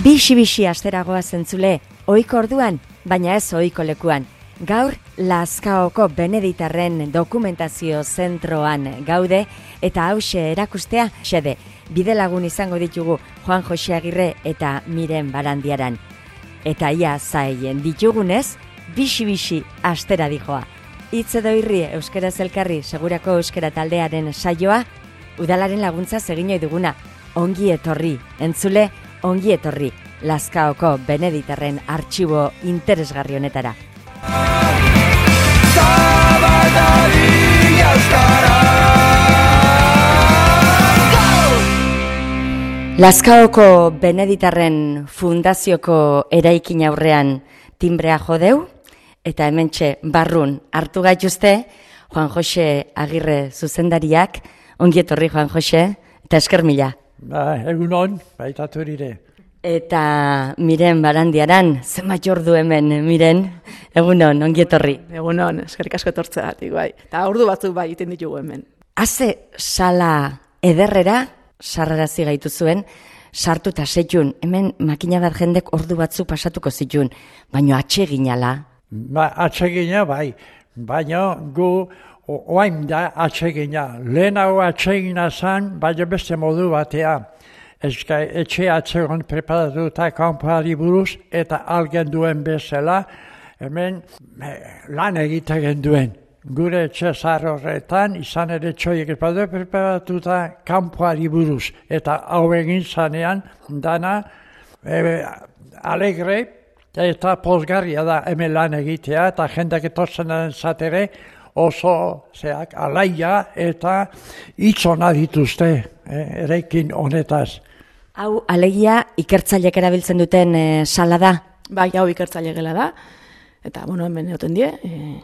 Bixi-bixi asteragoa zentzule, ohiko orduan, baina ez ohiko lekuan. Gaur, Lazkaoko Beneditarren dokumentazio zentroan gaude eta hause erakustea xede. Bidelagun izango ditugu Juan Jose Agirre eta Miren Barandiaran. Eta ia zaien ditugunez, bixi-bixi astera dijoa. Hitz edo irri euskaraz elkarri segurako euskara taldearen saioa, udalaren laguntza egin duguna. Ongi etorri, entzule, ongi etorri, Lazkaoko Beneditarren artxibo interesgarri honetara. Lazkaoko Beneditarren fundazioko eraikin aurrean timbrea jodeu, eta hementxe barrun hartu gaituzte Juan Jose Agirre zuzendariak. Ongi etorri, Juan Jose, eta esker mila. Egunon, baitatu erire. Eta Miren Barandiaran, zenbat ordu hemen, Miren? Egunon, ongi etorri. Egunon, eskerrik asko etortzeagatik, bai. Eta ordu batzuk bai iten ditugu hemen. Haze sala ederrera, sarrarazi gaitu zuen, sartu eta setxun, hemen makina bat jendek ordu batzuk pasatuko zitun, baina atseginala. Atsegina bai, baina gu oain da atsegina. Lehenago atsegina zan, baina beste modu batea. Etxe atsegon preparatuta kanpoari buruz eta algen duen bezala, hemen lan egiten duen. Gure etxe zahar horretan, izan ere txoiek preparatuta kanpoari buruz. Eta hau egin zanean, dana alegre eta pozgarria da hemen lan egitea, eta jendak etortzen zatere oso alaia eta itzona dituzte eraikin honetaz. Hau, alegia, ikertzaileek erabiltzen duten sala da? Bai, hau ikertzaile gela da. Eta, hemen egoten die,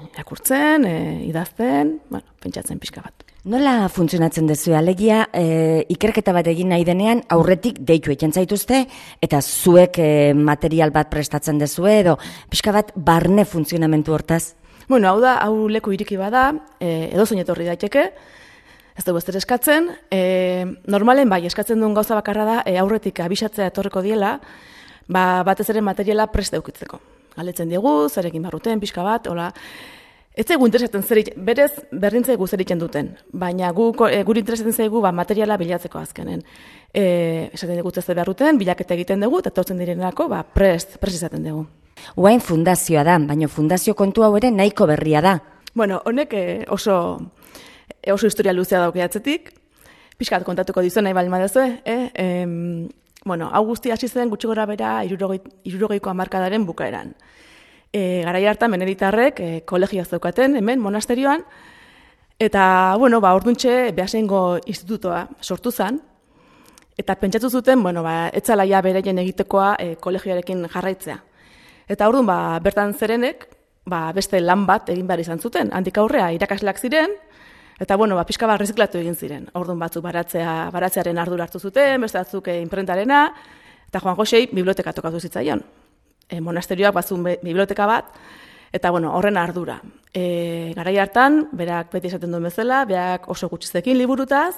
irakurtzen, idazten, pentsatzen pixka bat. Nola funtzionatzen duzu? Alegia, ikerketa bat egin nahi denean, aurretik deitu egiten zaituzte, eta zuek material bat prestatzen duzue, edo pixka bat barne funtzionamentu hortaz? Hau leku iriki bada, edo zein etorri daiteke, ez dugu ez eskatzen, normalen bai, eskatzen duen gauza bakarra da, aurretik abisatzea etorriko diela, batez ere materiala prest eukitzeko. Galetzen diegu, zerekin barruten, pixka bat, hola. Ez zaigu interesatzen berez berdin zaigu zer egiten duten, baina guri interesatzen zaigu materiala bilatzeko azkenen. Esaten dugu ez beharruten, bilaketa egiten dugu, eta tortzen direnako prest izaten dugu. Uain fundazioa da, baina fundazio kontu hau ere nahiko berria da. Honek oso historia luzea dauke atzetik, pixkat kontatuko dizu nahi baldin baduzue. Hau guzti hasi zen gutxi gora bera 60ko hamarkadaren bukaeran. Garai hartan Beneditarrek kolegioa zeukaten hemen monasterioan, eta orduntxe Beasaingo institutoa sortu zen, eta pentsatu zuten, etzalaia bereien egitekoa kolegioarekin jarraitzea. Eta orduan bertan zerenek beste lan bat egin behar izan zuten. Handik aurrea irakasleak ziren, eta pixka bat reziklatu egin ziren. Orduan batzuk baratzearen ardura hartu zuten, beste batzuk imprentarena, eta Juan Josei biblioteka tokatu zitzaion. Monasterioak bazun biblioteka bat, eta horren ardura. Garai hartan, berak beti esaten duen bezala, berak oso gutxizekin liburutaz,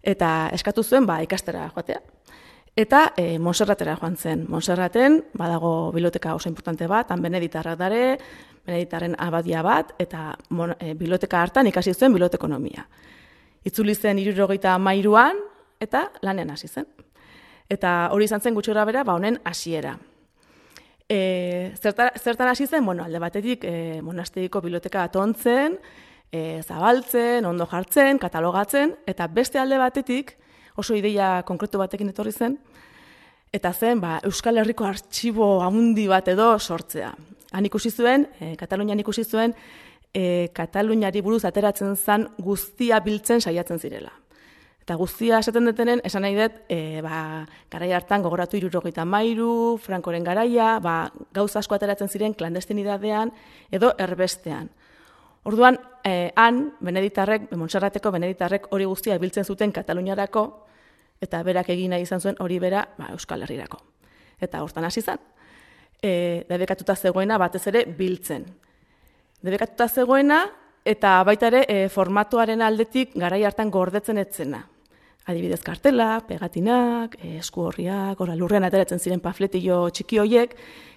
eta eskatu zuen ikastera joatea. Eta Montserratera joan zen. Montserraten badago biblioteka oso importante bat, han Beneditarrak dare, Beneditarren abadia bat, eta biblioteka hartan ikasi zuen bibliotekonomia. Itzuli zen 73an, eta lanean hasi zen. Eta hori izan zen gutxi grabera, honen hasiera. Zertan hasi zen, alde batetik monasteriko biblioteka atontzen, zabaltzen, ondo jartzen, katalogatzen, eta beste alde batetik, oso ideia konkretu batekin etorri zen, eta zen Euskal Herriko artxibo handi bat edo sortzea. Han ikusi zuen, Katalunian ikusi zuen, Kataluniari buruz ateratzen zen guztia biltzen saiatzen zirela. Eta guztia esaten detenen, esan nahi dut, garai hartan gogoratu 73, Frankoren garaia, gauza asko ateratzen ziren klandestinidadean edo erbestean. Orduan, han, Montserrateko Beneditarrek hori guztia biltzen zuten Kataluniarako, eta berak egin nahi izan zuen hori bera Euskal Herrirako. Eta hortan hasi zen. Debekatuta zegoena batez ere biltzen. Debekatuta zegoena, eta baita ere formatuaren aldetik garai hartan gordetzen etzena. Adibidez kartelak, pegatinak, esku horriak, lurrean ateratzen ziren pamfletillo txiki hoiek,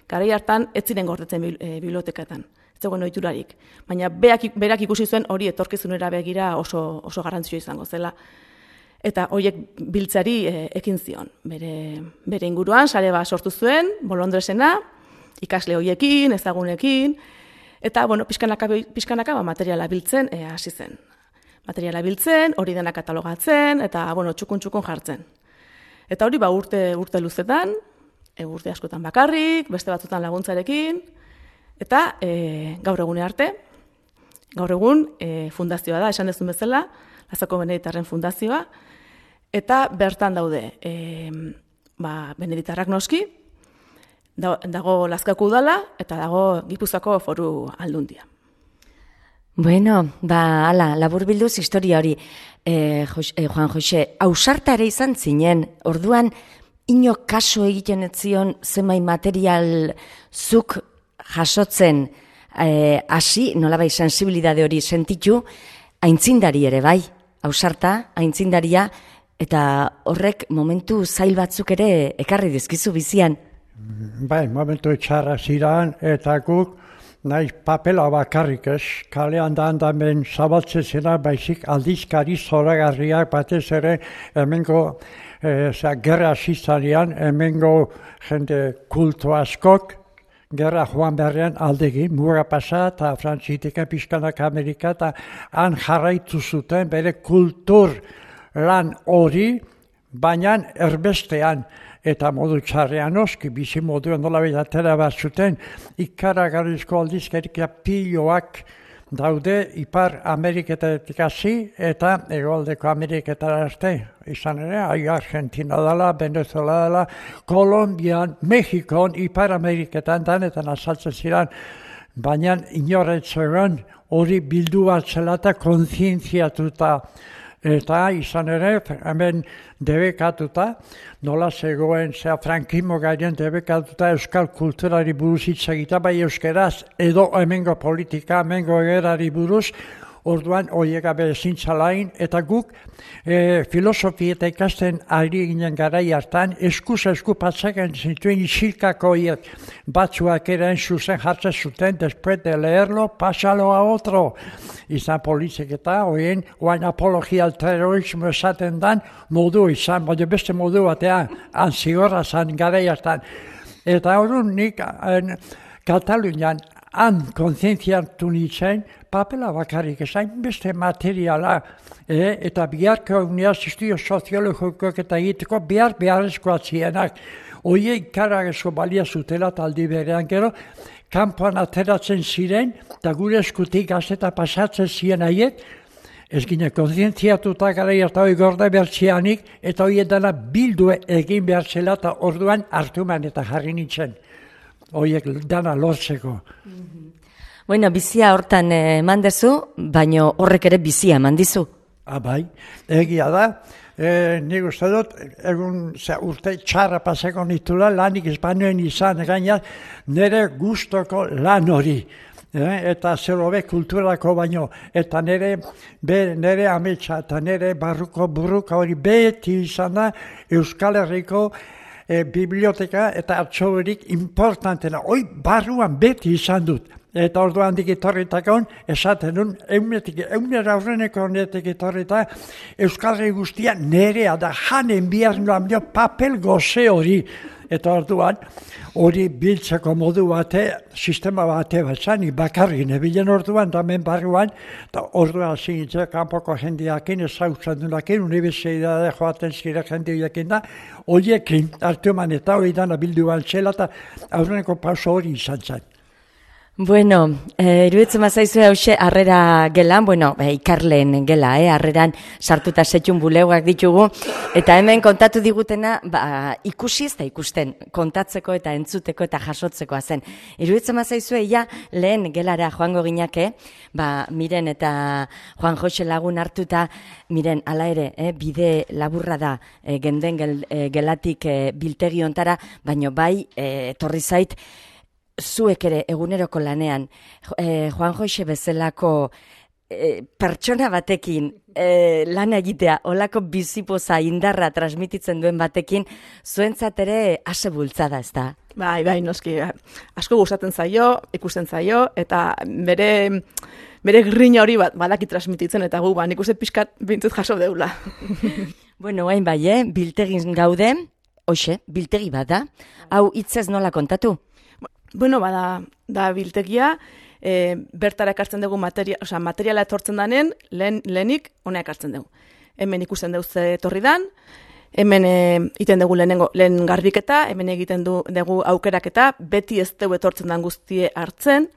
garai hartan ez ziren gordetzen bibliotekatan. Ez zegoen ohiturarik. Baina berak ikusi zuen hori etorkizunera begira oso garrantzitsua izango zela. Eta horiek biltzari ekin zion. Bere inguruan, sare bat sortu zuen, Bolondresena, ikasle horiekin, ezagunekin, eta, pixkanaka materiala biltzen hasi zen. Materiala biltzen, hori dena katalogatzen, eta, txukun jartzen. Eta hori, urte luzetan, urte askotan bakarrik, beste batzutan laguntzarekin, eta gaur egune arte, gaur egun fundazioa da, esan dezun bezala, Lazkako Beneditarren fundazioa, eta bertan daude, Beneditarrak noski, dago Lazkako udala, eta dago Gipuzkoako Foru Aldundia. Bueno, hala, laburbilduz historia hori, Juan Jose, ausarta ere izan zinen, orduan, ino kaso egiten ez zion zenbait material zuk jasotzen hasi, nolabait sensibilidade hori sentitu, aintzindari ere bai, ausarta, aintzindaria, eta horrek momentu zail batzuk ere ekarri dizkizu bizian. Bai, momentu txarra ziren, eta guk nahiz papela bakarrik ez, kalean da handamen zabaltzen zena, baizik aldizkari zoragarriak batez ere hemengo gerra zizanian, hemengo jende kultu askok, gerra joan beharrean aldegin, mura pasa eta Frantzitika, pixkanak Amerika, eta han jarraitu zuten bere kultur lan hori, baina erbestean, eta modu txarrean oski, bizi moduan nolabait atera bat zuten, ikaragarrizko aldizkarik piloak daude Ipar Ameriketatik hasi eta Hegoaldeko Ameriketara arte. Izan ere, Argentina dela, Venezuela dela, Kolombian, Mexikon, Ipar Ameriketan danetan azaltzen ziren, baina inoretzean hori bildu bat zela eta kontzientziatuta. Eta izan ere, hemen debekatuta, nola zegoen, frankismo gairen debekatuta euskal kulturari buruz hitz egita, bai euskeraz, edo hemengo politika, hemengo egerari buruz, orduan horiek gabe ezintzalain, eta guk filosofia eta ikasten ari ginen garai hartan, esku patzaken zituen isilkako horiek batzuak eren zuzen jartzen zuten, después de leerlo, pasalo a otro. Izan polizik eta horien, oain apologia al terrorismo esaten dan, modu izan, baina beste modu batean, anzigorra zan garai hartan. Eta orduan nik Katalunian han kontzientziatu nintzen, papela bakarrik ezain beste materiala, eta biharko uniaz estudio soziologikoak eta egiteko beharrezkoa zienak. Oie ikaragesko balia zutela taldi berean gero, kanpoan ateratzen ziren, eta gure eskutik gazeta pasatzen ziren haiek, ez gine kontzientziatuta gara eta hori gorde bertzianik, eta hori dena bildu egin behar zela, eta orduan hartuman eta jarri nintzen. Horiek dana lortzeko. Bueno, bizia hortan eman dezu, baina horrek ere bizia eman dizu. Bai, egia da. Nik uste dut, urte txarra pasako nitula, lanik espanuen izan gaina, nire gustoko lan hori. Eta zerobe kulturako baino, eta nire ametsa eta nire barruko burruka hori beti izan da Euskal Herriko biblioteka eta atxoberik importantena. Hoi barruan beti izan dut. Eta orduan digitorritakon, esaten duen, eunera aurreneko honetik etorrita, Euskal Herri guztia nerea da janen bihar noan papel goze hori. Eta orduan, hori biltzeko modu bate, sistema bate batzan, bakarri nebilen orduan, damen barruan, eta orduan zingitzea kanpoko jendeakin, ezautzen duenakin, unibertsitate joaten zire jendeakin da, horiekin hartuman eta hori dana bildu bantzela, eta aurreneko pauso hori izan zen. Bueno, iruditzen mazaizu hause harrera gelan, ikarleen gela, harreran sartuta setxun bulegoak ditugu, eta hemen kontatu digutena ikusi ez da ikusten, kontatzeko eta entzuteko eta jasotzekoa zen. Iruditzen mazaizu lehen gelara joango ginake, Miren eta Juan Jose lagun hartuta, Miren, ala ere, bide laburra da genden gelatik biltegi ontara, baino bai, etorri zait, zuek ere eguneroko lanean, Juan Jose bezalako pertsona batekin lan egitea, olako bizipoza indarra transmititzen duen batekin, zuentzat ere ase bultzada, ez da? Bai, noski, asko gustatzen zaio, ikusten zaio, eta bere grina hori badaki transmititzen, eta gu, nik uste pixkat bintzut jaso deula. Bueno, hain bai, biltegin gaude, hoxe, biltegi bat da, hau hitzez nola kontatu? Bueno, da biltegia, bertara ekartzen dugu materiala etortzen danen, lehenik hona ekartzen dugu. Hemen ikusten dugu ze etorri dan, hemen iten dugu lehen garbiketa, hemen egiten dugu aukeraketa, beti ez dugu etortzen dan guztie hartzen,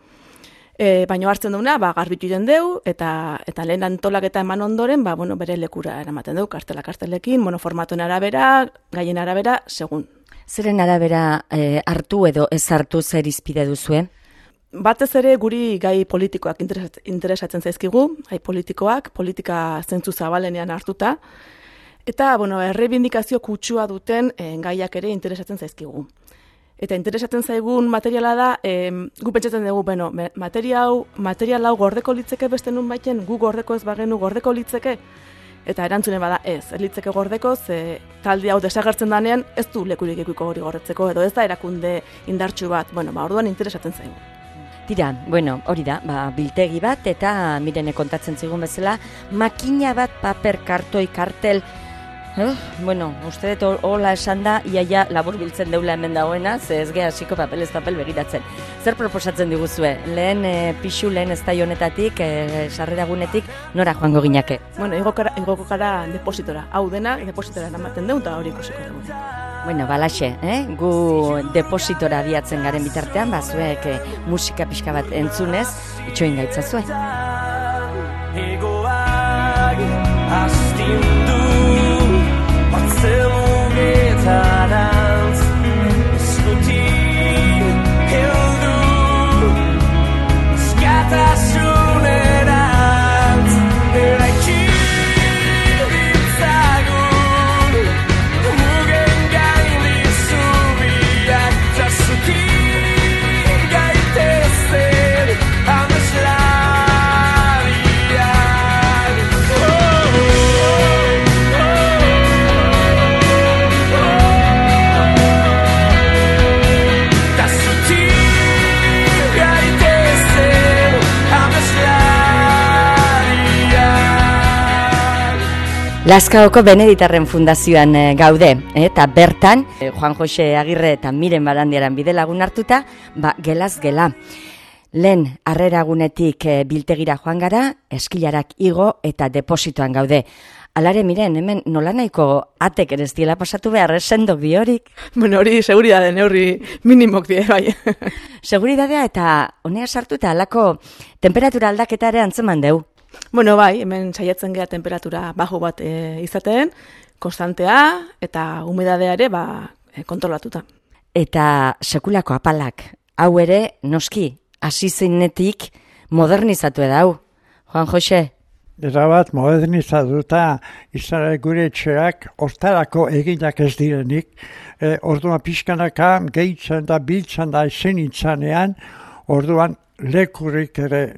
baina hartzen duguna, garbitu iten dugu, eta lehen antolaketa eman ondoren, bere lekura eramaten dugu, kartelekin, formatuen arabera, gaien arabera, segun. Zeren arabera hartu edo ez hartu zer izpide duzue? Batez ere guri gai politikoak interesatzen zaizkigu, gai politikoak, politika zentzu zabalenean hartuta, eta, errebindikazio kutsua duten gaiak ere interesatzen zaizkigu. Eta interesatzen zaigun materiala da, gu pentsatzen dugu, material hau gordeko litzeke beste nun baiten, gu gordeko ez bagenu gordeko litzeke, eta erantzunen bada ez litzeke gordeko, ze talde hau desagertzen danean ez du lekurik ikuiko hori gordetzeko, edo ez da erakunde indartsu bat, orduan interesatzen zaigu. Tira, hori da, biltegi bat, eta Mirene kontatzen zigun bezala, makina bat, paper, kartoi, kartel, uste dut hola esan da, iaia labur biltzen deula hemen dagoena, ze ez geha hasiko papelez papel begiratzen. Zer proposatzen diguzue? Lehen pixu, lehen ez da honetatik, sarreragunetik, nora joango ginake? Igoko gara depositora. Hau dena, depositora eramaten dugu, eta hori ikusiko dugu. Balaxe, gu depositora abiatzen garen bitartean, zuek musika pixka bat entzunez, itxoin gaitzazue. Egoak astindu Zelungetarantz eskuti heldu eskatasunerantz eraiki ditzagun mugen gaindi zubiak tasuki gaitezen ameslariak Lazkaoko Beneditarren Fundazioan gaude, eta bertan, Juan Jose Agirre eta Miren Barandiaran bide lagun hartuta, gelaz gela. Lehen harreragunetik biltegira joan gara, eskilarak igo eta depositoan gaude. Alare, Miren, hemen nola nahiko atek ere ez diela pasatu behar, sendok diorik? Hori seguridade neurri minimok die, bai. Seguridadea eta honea sartuta alako temperatura aldaketa ere antzeman deu. Bai, hemen saiatzen gea temperatura bajo bat izaten, konstantea eta humedadea ere kontrolatuta. Eta sekulako apalak, hau ere noski, hasi zeinetik modernizatu edau. Juan Jose? Erabat modernizatuta izan gure etxeak hortarako eginak ez direnik, orduan pixkanaka gehitzen da, biltzen da ezen itzanean, orduan lekurik ere,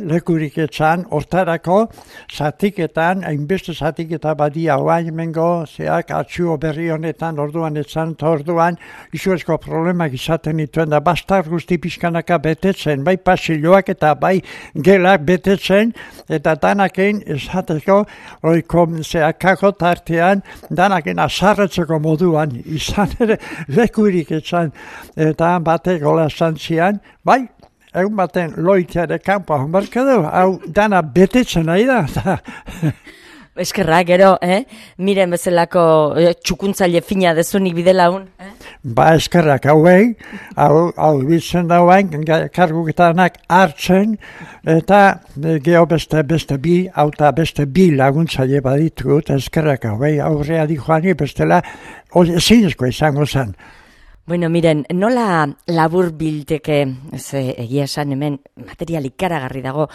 lekurik etzan, hortarako zatiketan, hainbeste zatiketa badia oain mengo, zeak atxuo berri honetan, orduan etzan, eta orduan izuezko problemak izaten dituen da, bastar guzti pixkanaka betetzen, bai pasiloak eta bai gelak betetzen, eta danaken esateko, oiko zeakako tartean, danaken azarretzeko moduan, izan ere lekurik etzan, eta batek gola zantzian, bai, egun baten loiteare kanpoa honbarka du, hau dana betetzen nahi da. Eskerra, gero, Miren bezalako txukuntzaile fina dezunik bide laun. Eskerrak hauei, hau bitzen dauain, karguketanak hartzen, eta geho beste bi, hauta beste bi laguntzaile baditut, eskerrak hauei, aurrea di joani bestela, zinezko izango zen. Miren, nola labur bilteke, egia esan hemen material ikaragarri dago,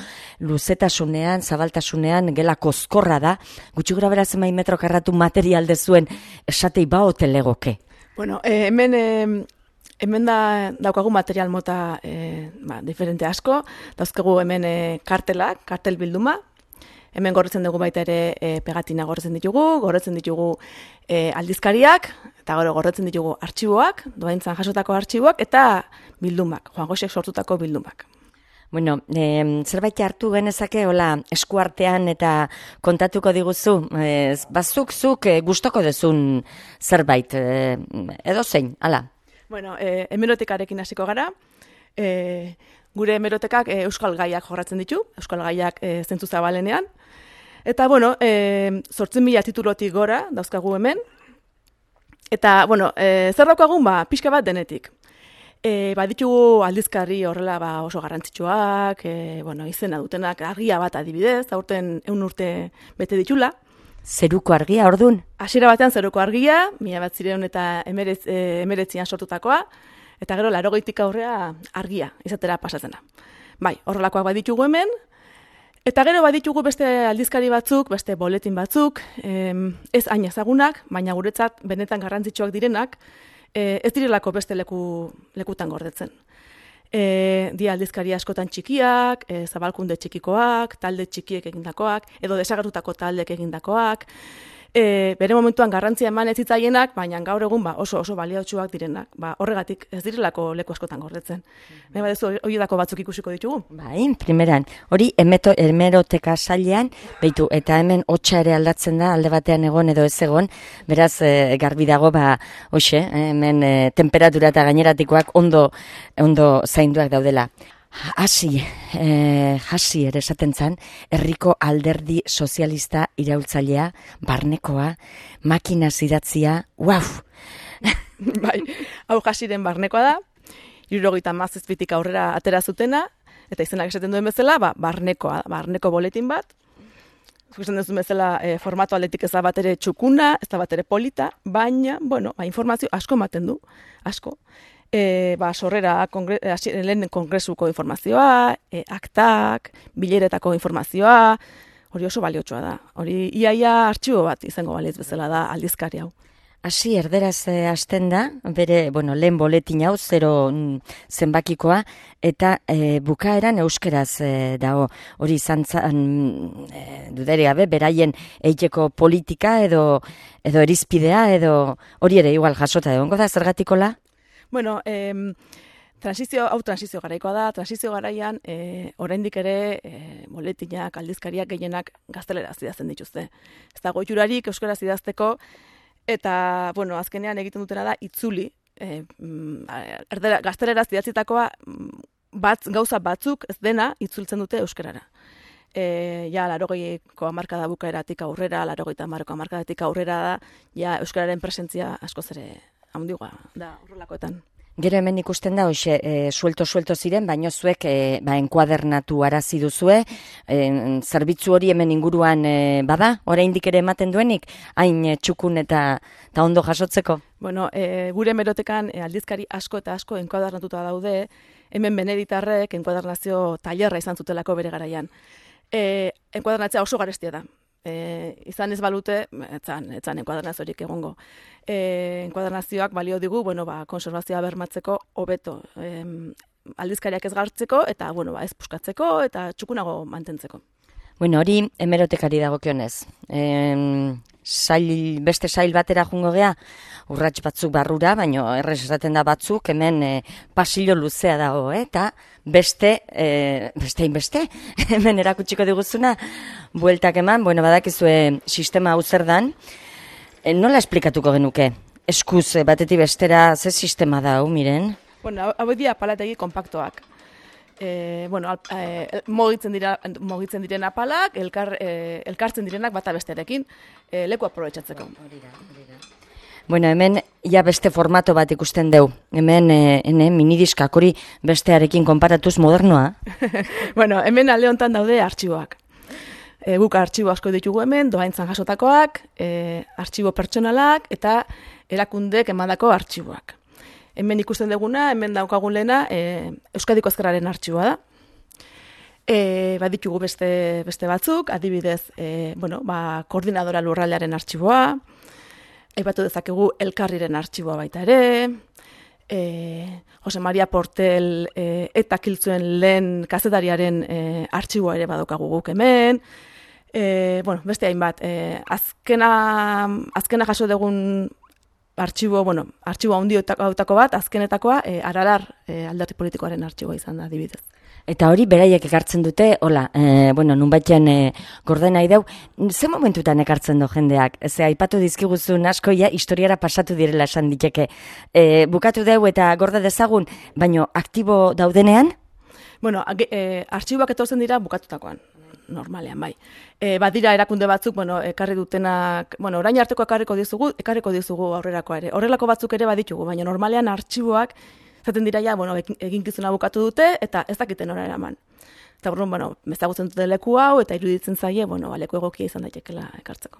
luzetasunean, zabaltasunean, gela koskorra da, gutxi gura beraz emain metro karratu material dezuen esatei baote legoke? Hemen Hemen daukagu material mota diferente asko, dauzkagu hemen kartel bilduma, hemen gorretzen dugu baita ere pegatina gorretzen ditugu aldizkariak, eta gorretzen ditugu artxiboak, doaintzan jasotako artxiboak, eta bildumak, Juan Josek sortutako bildumak. Bueno, zerbait hartu genezake, hola, eskuartean eta kontatuko diguzu, zuk gustoko duzun zerbait, edo zein, hala? Bueno, hemerotekarekin hasiko gara, gure hemerotekak euskal gaiak jorratzen ditu, euskal gaiak zentzu zabalenean, eta, bueno, 8.000 titulotik gora dauzkagu hemen, eta, bueno, zer daukagun, pixka bat denetik. Ditugu aldizkari horrela oso garrantzitsuak, izena dutenak, argia bat adibidez, aurten 100 urte bete ditula. Zeruko argia, ordun? Hasiera batean zeruko argia, 1919 sortutakoa, eta gero 80tik aurrea argia izatera pasatzena. Bai, horrelakoak baditugu hemen, eta gero baditugu beste aldizkari batzuk, beste boletin batzuk, ez hain ezagunak, baina guretzat benetan garrantzitsuak direnak, ez direlako beste lekutan gordetzen. Dia aldizkari askotan txikiak, zabalkunde txikikoak, talde txikiek egindakoak, edo desagertutako taldeek egindakoak, bere momentuan garrantzia eman ez zitzaienak, baina gaur egun oso baliotsuak direnak. Horregatik ez direlako leku askotan gordetzen. Nahi badezu horietako batzuk ikusiko ditugu? Bai, primeran, hori hemeroteka sailean, beitu, eta hemen hotsa ere aldatzen da, alde batean egon edo ez egon, beraz garbi dago, hoxe, hemen temperatura eta gaineratikoak ondo zainduak daudela. Hasi ere esaten zan, herriko alderdi sozialista iraultzailea, barnekoa, makinaz idatzia, uau! Bai, hau Hasiren barnekoa da, 77tik aurrera atera zutena, eta izenak esaten duen bezala, barneko boletin bat. Ikusten duzun bezala formato aldetik ez da bat ere txukuna, ez da bat ere polita, baina, informazio asko ematen du, asko. Sorrera, lehen kongresuko informazioa, aktak, bileretako informazioa, hori oso baliotsua da. Hori iaia artxibo bat izango baliz bezala da aldizkari hau. Hasi erderaz hasten da, bere, lehen boletin hau, 0 zenbakikoa, eta bukaeran euskeraz dago. Hori izan dudere gabe, beraien eiteko politika edo erizpidea, edo hori ere igual jasota egongo da, zergatikola? Bueno, transizio garaikoa da, transizio garaian oraindik ere boletinak, aldizkariak gehienak gazteleraz idazten dituzte. Ez dago itxurarik euskaraz idazteko, eta, azkenean egiten dutena da itzuli. Gazteleraz idatzitakoa gauza batzuk ez dena itzultzen dute euskarara. 80ko hamarkada bukaeratik aurrera, 80ko hamarkadatik aurrera da, euskararen presentzia askoz ere handigoa da horrelakoetan. Gero hemen ikusten da, suelto ziren, baino zuek enkuadernatu arazi duzue, zerbitzu hori hemen inguruan bada, oraindik ere ematen duenik, hain txukun eta ondo jasotzeko? Bueno, gure hemerotekan aldizkari asko eta asko enkuadernatuta daude, hemen beneditarrek enkuadernazio tailerra izan zutelako bere garaian. Enkuadernatzea oso garestia da. Izan ez balute, etzan enkuadernaziorik egongo. Enkuadernazioak balio digu, konservazioa bermatzeko hobeto. Aldizkariak ez gartzeko, eta ez puskatzeko, eta txukunago mantentzeko. Hori hemerotekari dagokionez. Beste sail batera jungo gea, urrats batzuk barrura, baino errez esaten da batzuk, hemen pasillo luzea dago, eta beste, hemen erakutsiko diguzuna, bueltak eman, badakizue sistema hau zer dan, nola esplikatuko genuke? Eskuz, batetik bestera, ze sistema da hau, miren? Hau dira palategi kompaktoak. Mogitzen diren apalak, elkartzen direnak bata bestearekin, leku aprobetxatzeko. Hemen beste formato bat ikusten deu. Hemen minidiskak hori bestearekin konparatuz modernoa. Hemen alde honetan daude artxiboak. Guk artxibo asko ditugu hemen, doaintzan jasotakoak, artxibo pertsonalak eta erakundek emandako artxiboak. Hemen ikusten duguna, hemen daukagun lehena, Euskadiko Ezkerraren artxiboa da. Baditugu beste batzuk, adibidez, koordinadora lurraldearen artxiboa, aipatu dezakegu elkarriren artxiboa baita ere, Jose Maria Portel eta kiltzuen lehen kazetariaren artxiboa ere badaukagu guk hemen. Beste hainbat, azkena jaso dugun artxibo handiotako bat, azkenetakoa, Aralar alderdi politikoaren artxiboa izan da, adibidez. Eta hori beraiek ekartzen dute, nunbaitean gorde nahi dau, ze momentutan ekartzen du jendeak? Aipatu dizkiguzun asko, historiara pasatu direla esan diteke. Bukatu deu eta gorde dezagun, baino aktibo daudenean? Artxiboak etortzen dira bukatutakoan, normalean, bai. Badira erakunde batzuk, ekarri dutenak, orain arteko ekarriko dizugu aurrerako ere. Horrelako batzuk ere baditugu, baina normalean artxiboak zaten dira eginkizuna bukatu dute, eta ez dakiten hori eraman. Eta ezagutzen dute leku hau, eta iruditzen zaie, leku egokia izan daitekela ekartzeko.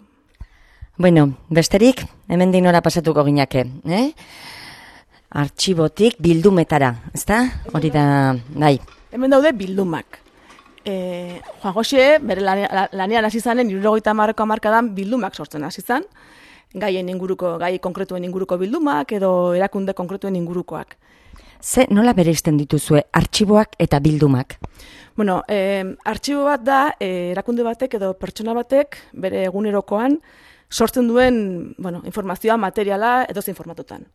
Besterik, hemen dinora pasatuko ginake, Artxibotik bildumetara, ezta? Hori da, bai. Hemen daude bildumak. Juan Jose, bere lanean hasi zanen, 70ko hamarkadan bildumak sortzen hasi zan, gai konkretuen inguruko bildumak, edo erakunde konkretuen ingurukoak. Nola bereizten dituzue artxiboak eta bildumak? Artxibo bat da, erakunde batek edo pertsona batek bere egunerokoan sortzen duen informazioa, materiala edozein formatutan.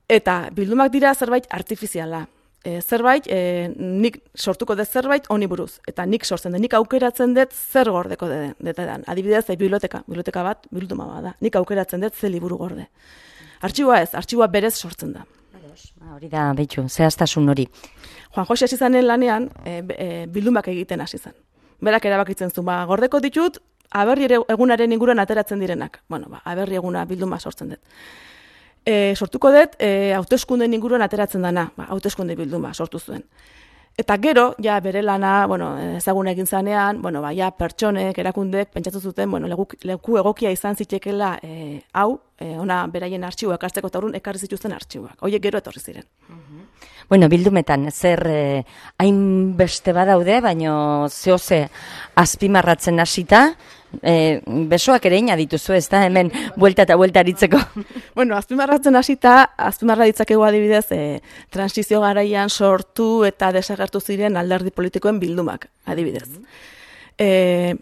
Eta bildumak dira zerbait artifiziala. Nik sortuko dut zerbait honi buruz. Eta nik sortzen dut, nik aukeratzen dut zer gordeko detedan. Adibidez, biblioteka bat, bilduma bat da. Nik aukeratzen dut ze liburu gorde. Artxiboa ez, artxiboa berez sortzen da. Hori da, behitxu, zehaztasun hori. Juan Jose hasi zanen lanean, bildumak egiten hasi zan. Berak erabakitzen zuen, gordeko ditut, aberri egunaren inguruan ateratzen direnak. Aberri eguna bilduma sortzen dut. Sortuko dut, hauteskunden inguruan ateratzen dana, hauteskunde bilduma sortu zuen. Eta gero, bere lana, ezagun egin zanean, pertsonek, erakundek, pentsatu zuten, leku egokia izan zitekela hau, ona beraien artxiboak hartzeko eta horren ekarri zituzten artxiboak. Horiek gero etorri ziren. Bildumetan, zer hainbeste badaude, baino zehose azpimarratzen hasita, besoak ere ina dituzu, ez da, hemen buelta eta buelta aritzeko. Azpimarratzen hasita, azpimarra ditzakegu adibidez, transizio garaian sortu eta desagertu ziren alderdi politikoen bildumak, adibidez.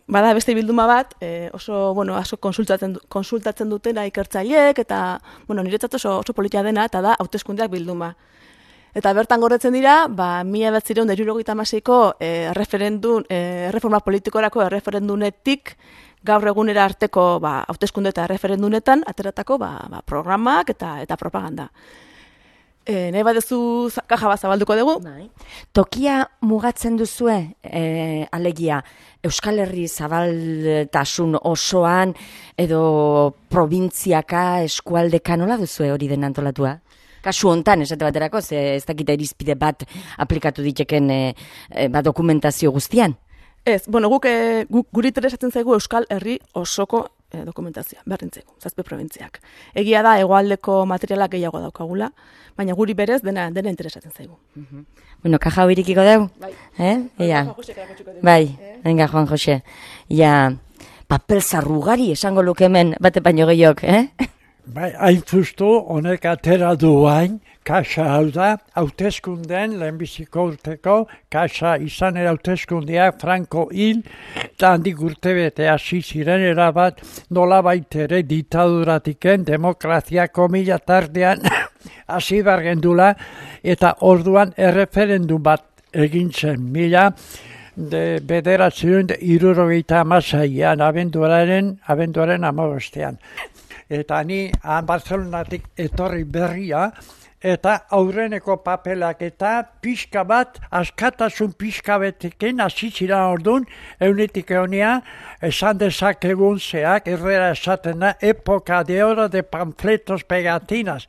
Bada beste bilduma bat, asko konsultatzen dutena ikertzaileek, eta niretzat oso politia dena, eta da hauteskundeak bilduma. Eta bertan gordetzen dira, 1976ko erreforma politikorako erreferendunetik gaur egunera arteko hauteskunde eta erreferendunetan ateratako programak eta propaganda. Nahi badezu kaja bat zabalduko dugu? Tokia mugatzen duzue, alegia, Euskal Herri zabaltasun osoan edo probintziaka, eskualdeka, nola duzue hori den antolatua? Kasu hontan, esate baterako, ez dakita irizpide bat aplikatu diteken dokumentazio guztian? Ez, guri interesatzen zaigu Euskal Herri osoko dokumentazioa, berdintzeko, 7 probintziak. Egia da, hegoaldeko materialak gehiago daukagula, baina guri berez dena interesatzen zaigu. Kaja hau irikiko deu? Bai. Bai, venga, Juan Jose. Papel zarrugari esango luke hemen, bate baino gehiok, Bai, hain justu, honek atera duain, kaxa hau da, hauteskunden, lehenbiziko urteko, kaxa izan hauteskundeak Franco hil, eta handik urtebete hasi ziren erabat, nola baitere ditaduratiken, demokrazia komila tardean hasi bargendula, eta orduan erreferendum bat egin zen, bederatzen 76an, abenduaren 15. Eta ni Barcelonatik etorri berria, eta aurreneko papelak eta pixka bat, askatasun pixka betekin, azizira orduan, eunetik egonia, esan dezakegun zeak, errera esaten da, época de oro de panfletos pegatinas.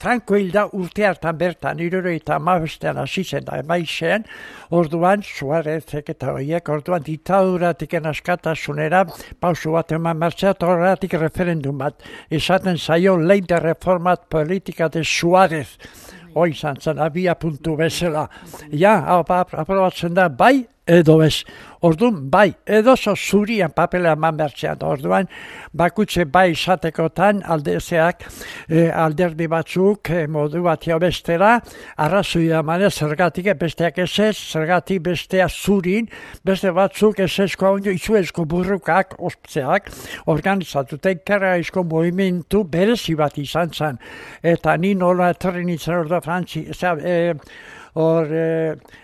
Franco hilda urte hartan bertan, 75an hasi zen da, emaixen, orduan, Suarezek eta horiek, orduan ditaduratiken askatasunera, pausu bat eman martxea, horretik referendum bat, esaten zaio ley de reformat politika de Suarez, hoi izan zen, abia puntu bezala. Aprobatzen da, bai, edo ez. Orduan, bai, edo zurian papela eman bertzean. Orduan, bakutze bai izatekotan aldezeak alderdi batzuk modu bat bestera, arrazoia emanez zergatik besteak ez, zergatik bestea zurin, beste batzuk ezko izuezko burrukak, osptzeak, organizatuten kerraizko movimentu berezi bat izan zen. Eta ni nola etorri nintzen orda Frantzi,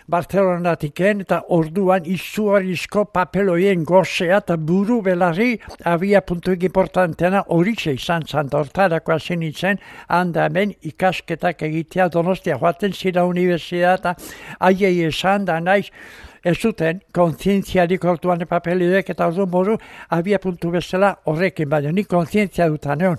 Barcelonatiken eta orduan izugarrizko papeloien gozea eta buru belarri abia puntuik importanteena horitxe izan zan, hortarako hasi nintzen, handa hemen ikasketak egitea Donostia joaten zira universidad eta aiei esan da naiz, ez zuten kontzientziarik orduan papelidek eta orduan modu abia puntu bezala horrekin, baina ni kontzientzia dutan egon.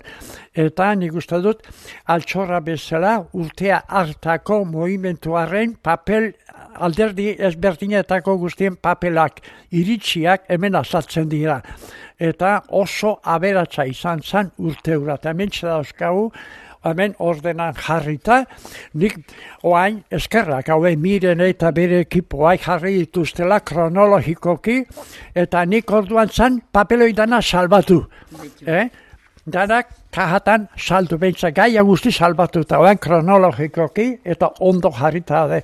Eta nik uste dut altxorra bezala urtea hartako movimentuaren papel alderdi ezberdinetako guztien papelak iritsiak hemen azaltzen dira. Eta oso aberatsa izan zen urte hura. Eta hemen dauzkagu hemen ordenan jarrita, nik oain eskerrak haue Miren eta bere ekipoa jarri dituztela kronologikoki, eta nik orduan zan papeloi dana salbatu. Danak kajatan saldu behintza, gaia guzti salbatu eta oain kronologikoki, eta ondo jarrita de.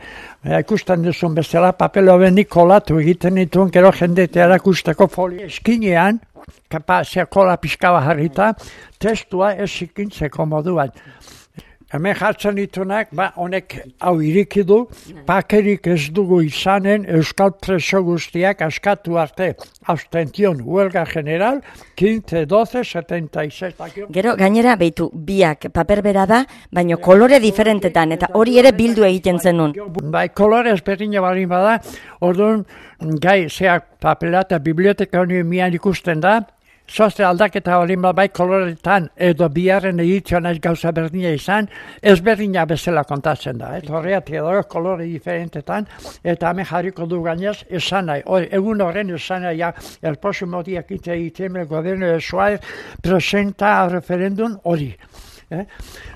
Ikusten duzun bezala papelo nik kolatu egiten dituen, gero jendetea erakusteko folia eskinean, kapazia kola pixkaba jarrita, testua ez ikintzeko moduan. Hemen jartzen ditunak, honek hau irikidu, pakerik ez dugu izanen euskal preso guztiak askatu arte. Abstention, huelga general, 15-12-76. Gero, gainera, behitu, biak paper bera da, baina kolore diferentetan, eta hori ere bildu egiten zenun. Bai, kolore ezberdina balin bada, orduan, gai, zeak papela eta biblioteka honi mian ikusten da, Zoazte aldaketa balin bai koloretan edo biharren edizioan ez gauza berdina izan, ez berdina bezala kontatzen da. Horreatik edo kolore diferentetan, eta hemen jarriko du gainez esan nahi. Egun horren esan nahi, el próximo día 15 de diciembre el gobierno de Suárez presenta a referendum hori.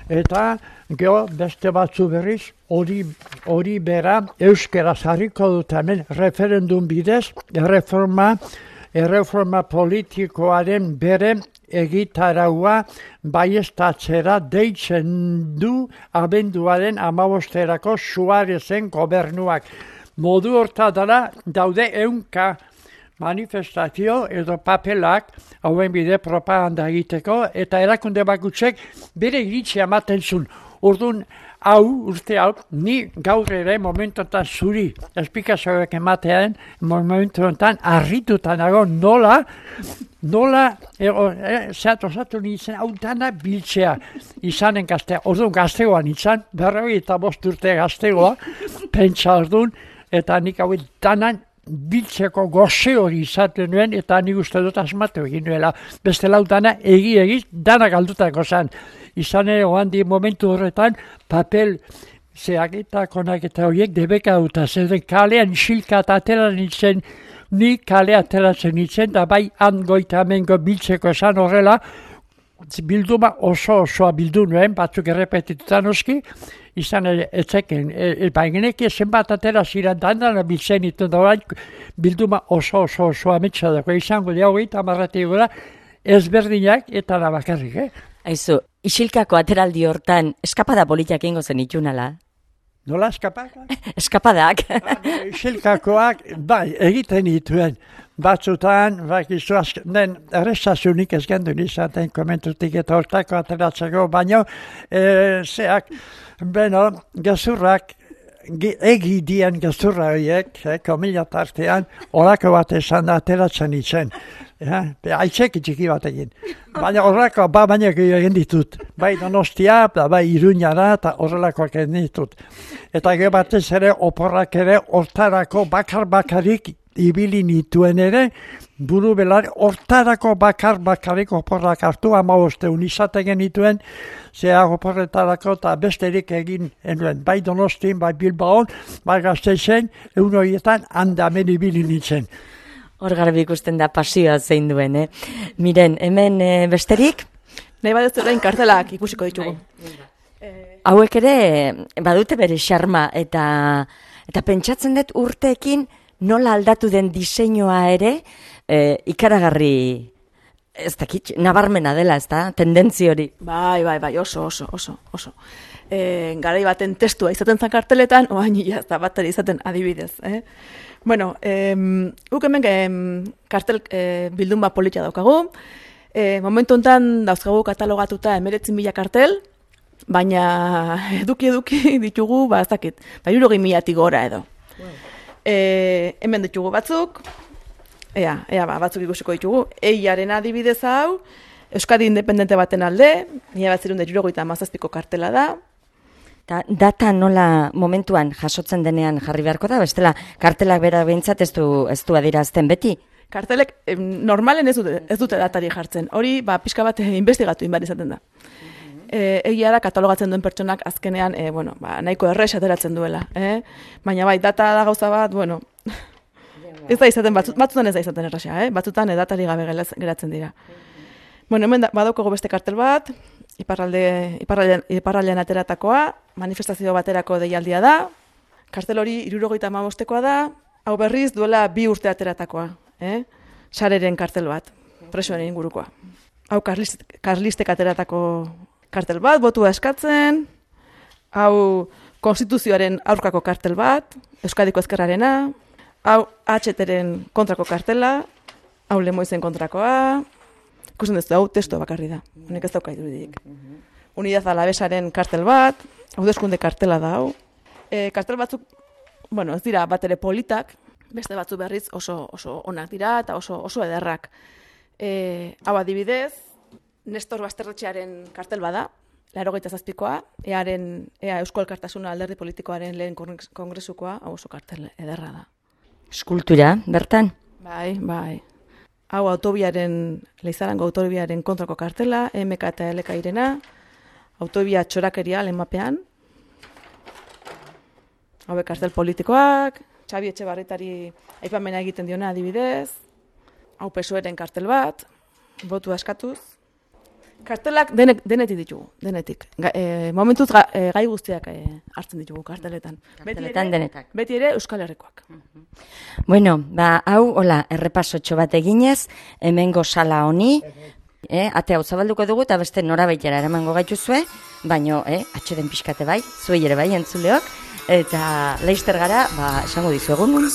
Eta geho beste batzu berriz, hori bera euskeraz jarriko dut hemen referendum bidez, erreforma politikoaren bere egitaraua baiestatzera deitzen du abenduaren 15erako Suarezen gobernuak. Modu hortatara daude 100 manifestazio edo papelak hauen bide propaganda egiteko eta erakunde bakutzek bere iritzia ematen zuen. Orduan, urte hau, ni gaur ere momentotan zuri esplikazioak ematean, momentotan harrituta nago nola osatu nintzen, hau dana biltzea izanen gaztea. Orduan gaztegoan nintzen, 45 urte gaztegoa, pentsa orduan, eta nik hau danan biltzeko goze hori izaten nuen, eta nik uste dut asmatu egin nuela. Beste lau dana egiz, dana galdutako zen. Izan ere, oandi momentu horretan, papel zeak eta konak eta horiek debeka duta. Zeren kalean isilka eta atera nintzen, ni kalea ateratzen nintzen, da bai hangoita amengo biltzeko esan horrela, bilduma osoa bildu nuen, batzuk errepetitutan oski, izan ere, etzeken, baigenek zenbat atera ziren dandana biltzen dituen, da bilduma osoa ametsadako, izango dira hogeita marratik gora, ezberdinak eta nabakarrik, Aizu, isilkako ateraldi hortan, eskapada politak ingo zen itxunala? Nola eskapadak? Eskapadak. Isilkakoak, bai, egiten dituen. Batzutan, errestazionik ez gendu nizaten komentutik eta hortako ateratzeko, baina gezurrak, egidien gezurra horiek, komila tartean, horako bat esan da ateratzen itzen. Aitzeki txiki bat egin. Baina horreko, baina egin ditut. Bai Donostia, bai Iruñara, eta horrelakoak egin ditut. Eta gero batez ere, oporrak ere, hortarako bakar-bakarik ibili nituen ere, buru belar, hortarako bakar-bakarik oporrak hartu, 15 izaten genituen, zea oporretarako eta besterik egin enuen. Bai Donostin, bai Bilbaon, bai Gasteizen, egun horietan handamen ibili nintzen. Hor garbi ikusten da pasioa zein duen, Miren, hemen besterik? Nahi badezu orain kartelak ikusiko ditugu. Hauek ere badute bere xarma eta pentsatzen dut urteekin nola aldatu den diseinua ere, ikaragarri, ez dakit, nabarmena dela, ez da, tendentzi hori. Bai, oso. Garai baten testua izaten zan karteletan, oain ez da bat ere izaten adibidez. Bueno, guk hemen kartel bildun bat politia daukagu. Momentu honetan dauzkagu katalogatuta 19.000 kartel, baina eduki ditugu, ez dakit, 60.000 gora edo. Hemen ditugu batzuk, batzuk ikusiko ditugu. Eiaren adibidez hau, Euskadi independente baten alde, 1977ko kartela da. Data nola momentuan jasotzen denean jarri beharko da, bestela kartelak bera behintzat ez du adierazten beti? Kartelek normalen ez dute datari jartzen. Hori, pixka bat investigatu inbar izaten da. Egia da, katalogatzen duen pertsonak azkenean, nahiko errex ateratzen duela. Baina bai, data da gauza bat, ez da izaten, batzutan ez da izaten erraxa, batzutan datari gabe geratzen dira. Hemen badaukago beste kartel bat, iparraldean ateratakoa, manifestazio baterako deialdia da, kartel hori 75koa da, hau berriz duela 2 urte ateratakoa. Sareren kartel bat, presoen ingurukoa. Hau karlistek ateratako kartel bat, botua eskatzen, hau konstituzioaren aurkako kartel bat, Euskadiko Ezkerrarena, hau HTren kontrako kartela, hau Lemoizen kontrakoa, ikusten duzu, hau testua bakarri da, honek ez dauka irudirik. Unidad Alavesaren kartel bat, hauteskunde kartela da hau. Kartel batzuk, ez dira bat ere politak, beste batzu berriz oso onak dira eta oso ederrak. Hau adibidez, Nestor Basterretxearen kartel bada, 87koa, Ea Eusko Elkartasuna alderdi politikoaren lehen kongresukoa, hau oso kartel ederra da. Eskultura, bertan? Bai. Hau Leizarango autobiaren kontrako kartela, MK eta LK irena, autobia txorakeria lehenmapean, hau kartel politikoak, Xabi Etxebarritari aipamena egiten diona adibidez, hau PSOEren kartel bat, botua eskatuz. Kartelak denetik ditugu, denetik. Momentuz gai guztiak hartzen ditugu karteletan. Beti ere Euskal Herrikoak. Hau, errepasotxo bat eginez, hemengo sala honi, ate hau zabalduko dugu eta beste norabaitera eramango gaituzue, baino, atxeden pixkate bai, zuei ere bai entzuleok, eta leister gara, esango dizuegu nun.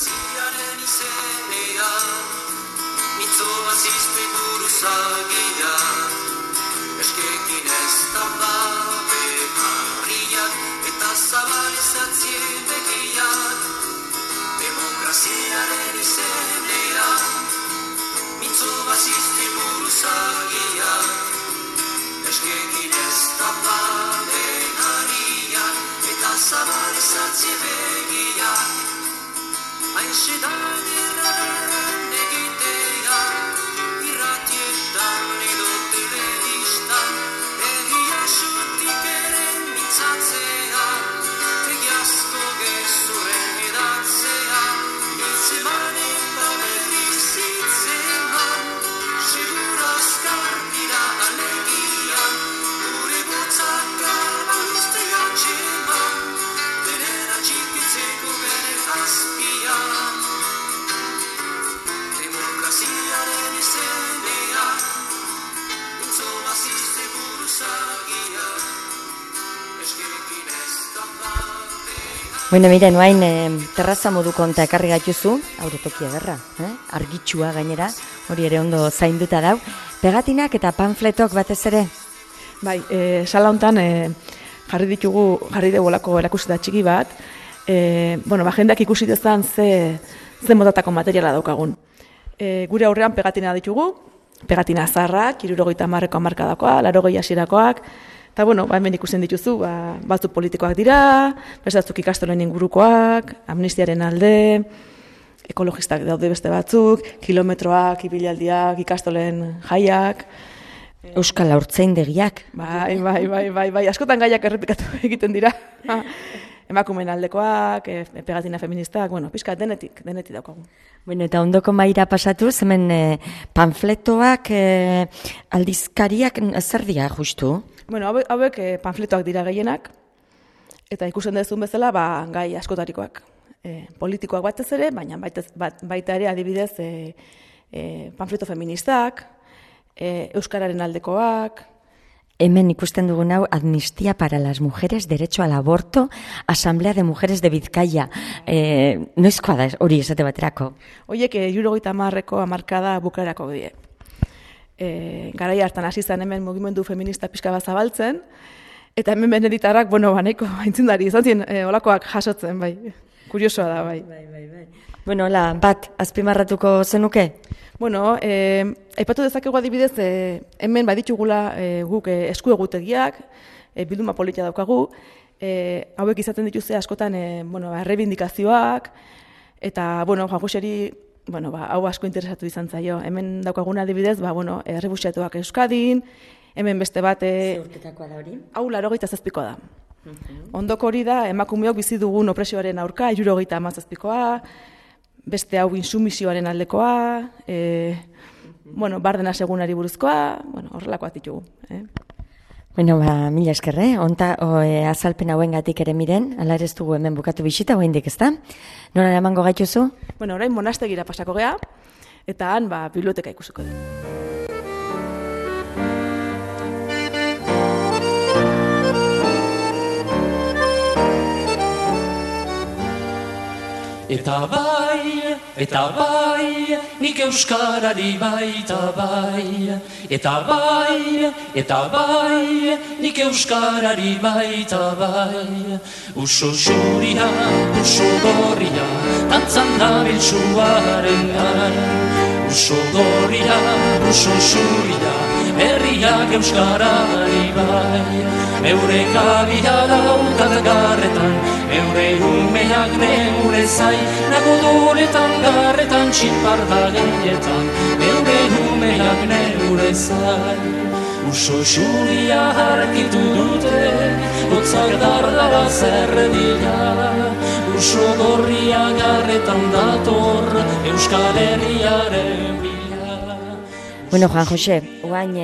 Miren, oain terraza moduko onta ekarri gaituzu, auretoki ederra, argitsua gainera, hori ere ondo zainduta dau, pegatinak eta panfletok batez ere? Bai, sala hontan jarri dugu olako erakusketa txiki bat, jendeak ikusi dezan ze motatako materiala daukagun. Gure aurrean pegatina ditugu, pegatina zaharrak, 70ko hamarkadakoa, 80 hasirakoak, eta hemen ikusten dituzu, batzuk politikoak dira, beste batzuk ikastolen ingurukoak, amnistiaren alde, ekologistak daude beste batzuk, kilometroak, ibilaldiak, ikastolen jaiak. Euskal Haurtzaindegiak. Bai, askotan gaiak errepikatu egiten dira. Emakumeen aldekoak, pegatina feministak, pixka denetik daukagu. Eta ondoko maira pasatu, hemen panfletoak, aldizkariak, zer dira justu? Hauek panfletoak dira gehienak, eta ikusten dezun bezala, gai askotarikoak. politikoak batez ere, baina baita ere adibidez panfleto feministak, euskararen aldekoak. Hemen ikusten dugun hau, Amnistía para las Mujeres, Derecho al Aborto, Asamblea de Mujeres de Bizkaia. Noizkoa da hori esate baterako? Horiek 70ko hamarkada bukaerako die. Garai hartan hasi zen hemen mugimendu feminista pixka bat zabaltzen, eta hemen Beneditarrak, nahiko aintzindari izan ziren olakoak jasotzen, bai. Kuriosoa da, bai. Bueno, bat azpimarratuko zenuke? Bueno, aipatu dezakegu adibidez, hemen baditugula guk eskuegutegiak, bilduma politia daukagu, hauek izaten dituzte askotan errebindikazioak, eta, Juan Joseri, hau asko interesatu izan zaio. Hemen daukaguna adibidez, errefuxiatuak Euskadin, hemen beste bat... Zeurtetakoa da hori? Hau 87koa da. Ondoko hori da, emakumeok bizi dugun opresioaren aurka, 77koa, beste hau insumisioaren aldekoa, bardena segunari buruzkoa, horrelakoak ditugu. Mila esker, azalpen hauengatik ere miren, ala ere ez dugu hemen bukatu bisita, oraindik ez da? Nora eramango gaituzu? Orain monastegira pasako gea, eta han biblioteka ikusiko du. Eta bai, nik euskarari baita bai. Eta bai, nik euskarari baita bai. Uso xuria, uso gorria, tantzan dabiltzuaren gain. Uso gorria, uso xuria, herriak euskarari bai. Eure kabia daukat garretan, eure umeak neure zai, nago duretan garretan txinparta gehietan, eure umeak neure zai. Uso xuria harkitu dute, hotzak dardara zerredila, uso gorria garretan dator, Euskal Herriaren bila. Juan Jose, oain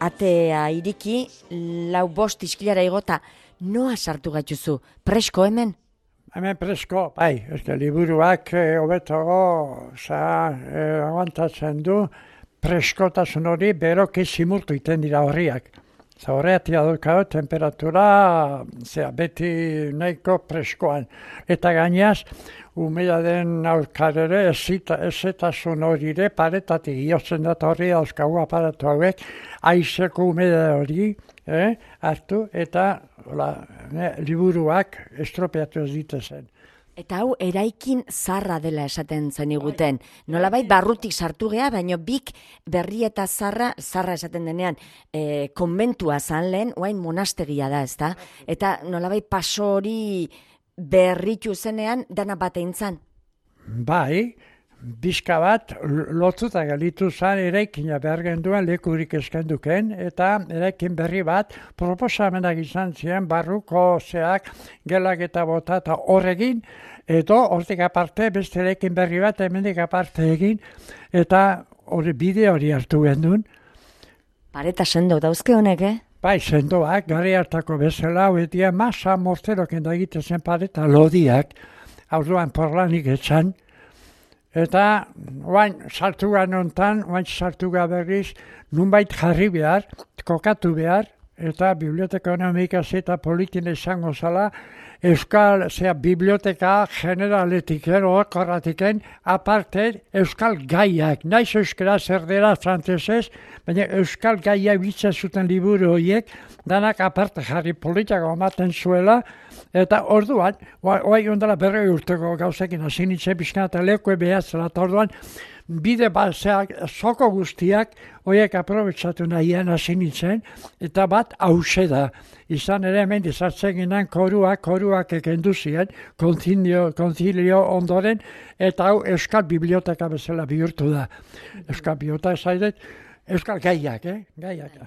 atea iriki, 4-5 iskilara igota, noa sartu gaituzu? Presko hemen? Hemen presko, bai, liburuak hobetago aguantatzen du, preskotasun hori beroki zimurtu iten dira horriak. Horreatia dukau, temperatura beti nahiko preskoan. Eta gainaz, umela den aurkarere ezetasun horire paretatik iotzen dut horri dauzkagu aparatu hauek, aizeko umela hori hartu eta liburuak estropeatu ez ditezen. Eta hau eraikin zarra dela esaten zeniguten. Nolabait barrutik sartu gea, baina bik berri eta zarra esaten denean, konbentua zan lehen, oain monastegia da, ezta? Eta nolabait paso hori berritu zenean, dana batein zan? Bai, bizka bat lotuta galitu zan eraikina behar genduen lekurik eskenduken, eta eraikin berri bat proposamenak izan ziren barruko zeak gelak eta bota eta horregin, edo hortik aparte beste eraikin berri bat hemendik aparte egin, eta hori bide hori hartu gendun. Pareta sendo dauzke honek, Bai, sendoak, gari hartako bezala, hoetia masa morteroken da egitezen pareta lodiak, orduan porlanik etxan, eta oain sartuga nontan, oain sartuga berriz, nunbait jarri behar, kokatu behar, eta biblioteka ekonomikaz eta politin izango zala, Euskal biblioteka generaletiken, okorratiken, aparte Euskal gaiak, naiz euskara zerdera frantzesez, baina Euskal gaiak bitzen zuten liburu horiek, danak aparte jarri politiako ematen zuela, eta orduan, oai ondala berroi urteko gauzekin hasi nintzen pixkan eta lekue behatzela, eta orduan, bide bazeak, soko guztiak, horiek aprobetsatu nahian hasi nintzen, eta bat hause da. Izan ere hemen dizartzen ginen koruak ekendu ziren, konzilio ondoren, eta hau Euskal Biblioteka bezala bihurtu da. Euskal Biblioteka zaidet, Euskal gaiak, gaiak.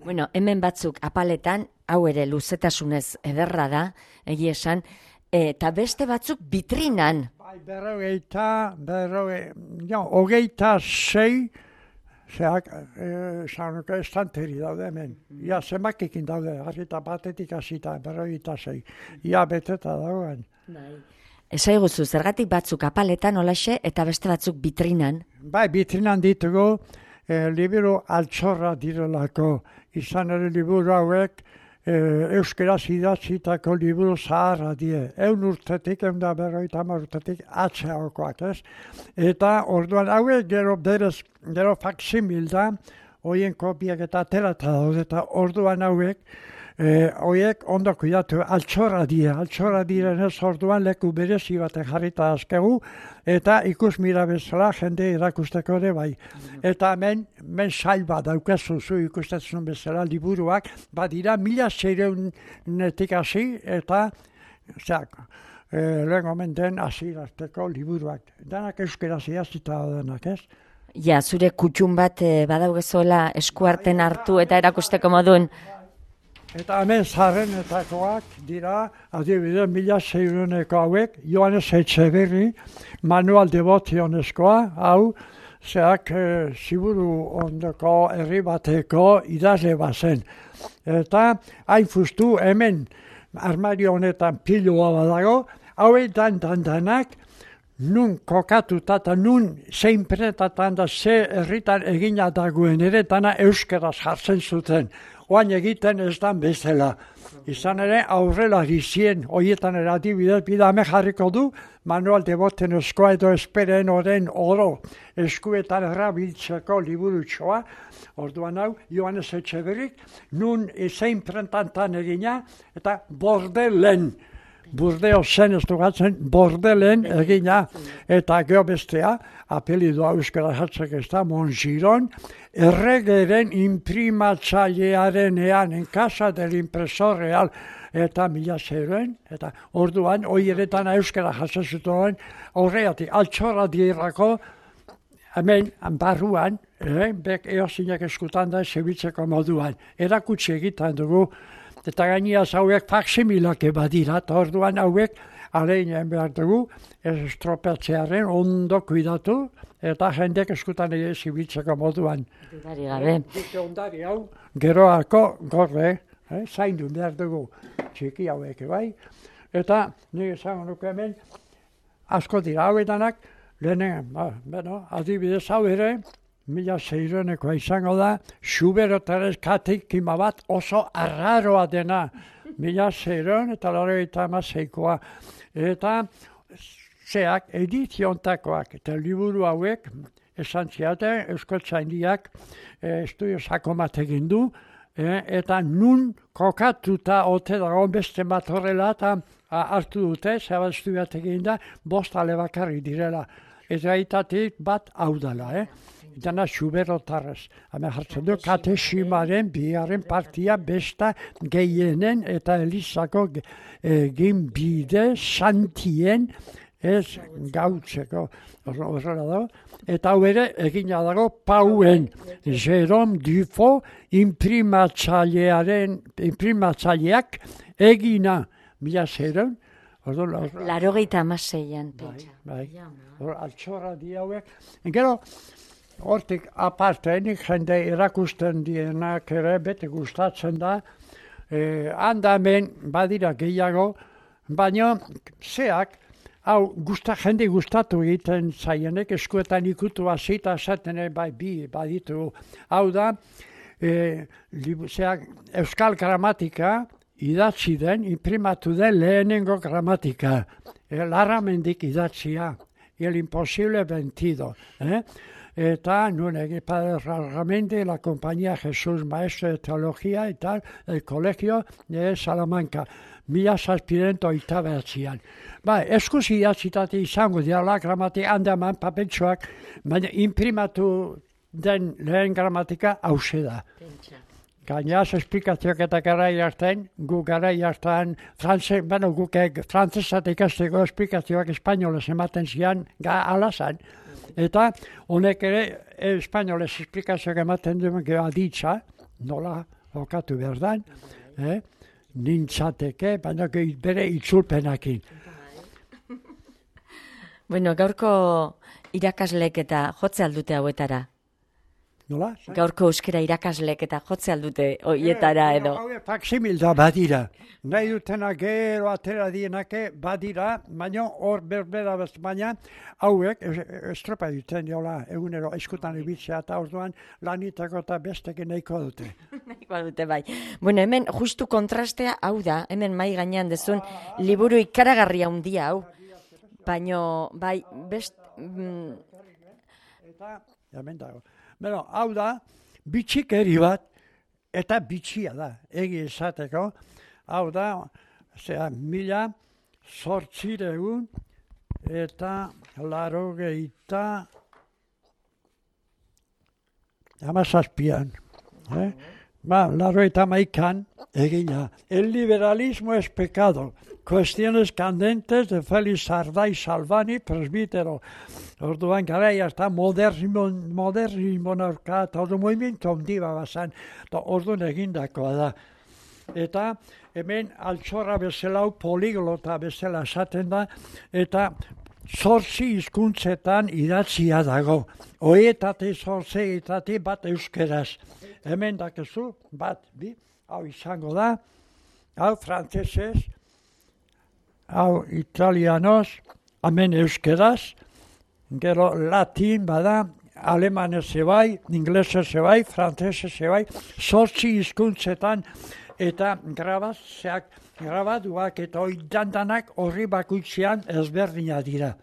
Bueno, hemen batzuk apaletan, hau ere luzetasunez ederra da, egia esan, eta beste batzuk bitrinan. Bai, hogeita 6, estanteri daude hemen. Ia, zenbakikin daude, harrita batetik hasita, 56. Ia, beteta dagoen. Esaiguzu, zergatik batzuk apaletan olaxe eta beste batzuk bitrinan? Bai, bitrinan ditugu, liburu altxorra direlako, izan ere liburu hauek euskaraz idatzitako liburu zaharra die. 100 urtetik, 150 urtetik atzeagokoak, ez? Eta orduan hauek gero faksimil da, hoien kopiak eta aterata daude, eta orduan hauek, horiek ondo kuidatu altxorra direnez orduan leku berezi batek jarrita azkegu, eta ikus mira bezala jende irakusteko ere bai. Eta men sail bat daukazuzu ikustetzen bezala liburuak, badira 1600-netik hasi eta lehen omen den hasirateko liburuak. Danak euskeraz idatzita daudenak, ez? Ja, zure kutxun bat badaugezola eskuarten hartu eta erakusteko modun. Eta hemen zaharrenetakoak dira, adibide, 1600-neko hauek, Joanes Etxeberri, Manual Devotioneskoa, hau, ziburu ondoko herri bateko idazle bazen. Eta hain fustu hemen armario honetan pilua badago, hauek danak, nun kokatuta eta nun zein pretatan da ze herritan egina dagoen ere dana euskeraz jartzen zuten. Oain egiten ez dan bezala. Izan ere aurrela gizien, horietan ere adibidez, bidame jarriko du, Manual Devotioneskoa edo esperen oren oro eskuetan erabiltzeko liburutxoa, orduan hau, Joanes Etxeberrik, nun zein prentantan egina, eta Bordelen, Burdeo zen ez dugatzen, Bordelen egina, eta geho bestea, apelidua euskara jatzek ez da, Mongiron, erregeren imprimatzailearenean, en casa del impresor real, eta 1600, eta orduan, oieretan euskara jatzen zuten, horreatik, altxorra dirako, hemen, barruan, bek eozinek eskutan da, zebitzeko moduan, erakutsi egiten dugu, eta gainiaz hauek faksimilak badira, eta orduan hauek aleinen behar dugu, estropatzearen ondo kuidatu, eta jendek eskutan ere zibiltzeko moduan. Dudari gabe. Ondari hau, geroako gorre, zaindu behar dugu, txiki hauek, bai? Eta nire esango nuke hemen, asko dira hauetanak, lehenen, adibidez hau ere, 1600-nekoa izango da, Xuberotaren katekima bat oso arraroa dena, 1600 eta 96-koa. Eta zeak ediziontakoak eta liburu hauek esan ziaten, Euskaltzaindiak estudio sako bat egin du, eta nun kokatuta ote dago beste bat horrela eta hartu dute, zebat estudioat egin da, 5 ale bakarrik direla. Eta itatik bat hau dela, Dana Xuberotarrez. Hemen jartzen du, katesimaren biaren partia besta gehienen eta Elizako ginbide santien ez gautzeko. Horrela dago. Eta hau ere egina dago Pauen Jerome Dufo imprimatzaileak egina 1600. 86an, pentsa. Bai. Altxorra di hauek. Gero, hortik aparte, nik jende erakusten dienak ere bete gustatzen da, handamen badira gehiago, baina zeak, hau jende gustatu egiten zaienek, eskuetan ikutu hasita esaten bai bi baditu. Hau da, zeak euskal gramatika idatzi den, imprimatu den lehenengo gramatika. Larramendik idatzia, el imposible vencido. Eta nun egin Padre Rarramendi, la compañía Jesús Maestro de Teología eta el Colegio de Salamanca. 1789an. Eskuz idatzitatik izango dira gramatik handaman papeltxoak, baina imprimatu den lehen gramatika hause da. Gainaz, esplikazioak eta garai hartan, gu garai hartan, guk frantzesat ikasteko esplikazioak espainolez ematen zian, alazan. Eta honek ere, espainolez esplikazioak ematen duen aditza, nola jokatu behar dan, nintzateke, baina bere itzulpenakin. Bueno, gaurko irakaslek eta jotze aldute hauetara? Nola? Gaurko euskera irakaslek eta jotze aldute hoietara edo. Hauek faksimilda badira. Nahi dutena gero atera dienake badira, baina hor berbera baina hauek estropa duten jola egunero eskutan ibitzea eta orduan lanitako eta bestekin nahiko dute. Nahiko dute bai. Bueno, hemen justu kontrastea hau da, hemen mai gainean dezun liburu ikaragarria handia hau. Baino, bai, Eta, hemen dago. Beno, hau da, bitxikeri bat, eta bitxia da, egi esateko. Hau da, 1800 eta 87an. Ba, 88an egina. El liberalismo es pecado. Cuestiones candentes de Félix Sardai Salvani, presbítero. Orduan garaia eta modernismo norka, eta ordu movimiento handia bazan, eta orduan egindakoa da. Eta hemen altxorra bezala, poliglota bezala esaten da, eta 8 hizkuntzetan idatzia dago. Hoietatik 8 bat euskeraz. Hemen dakezu, bat, bi, hau izango da, hau frantzesez, hau italianoz, hemen euskeraz, gero latin bada, alemanez ebai, inglesez ebai, frantzesez ebai, 8 hizkuntzetan, eta grabaduak eta oidandanak horri bakoitzean ezberdina dira.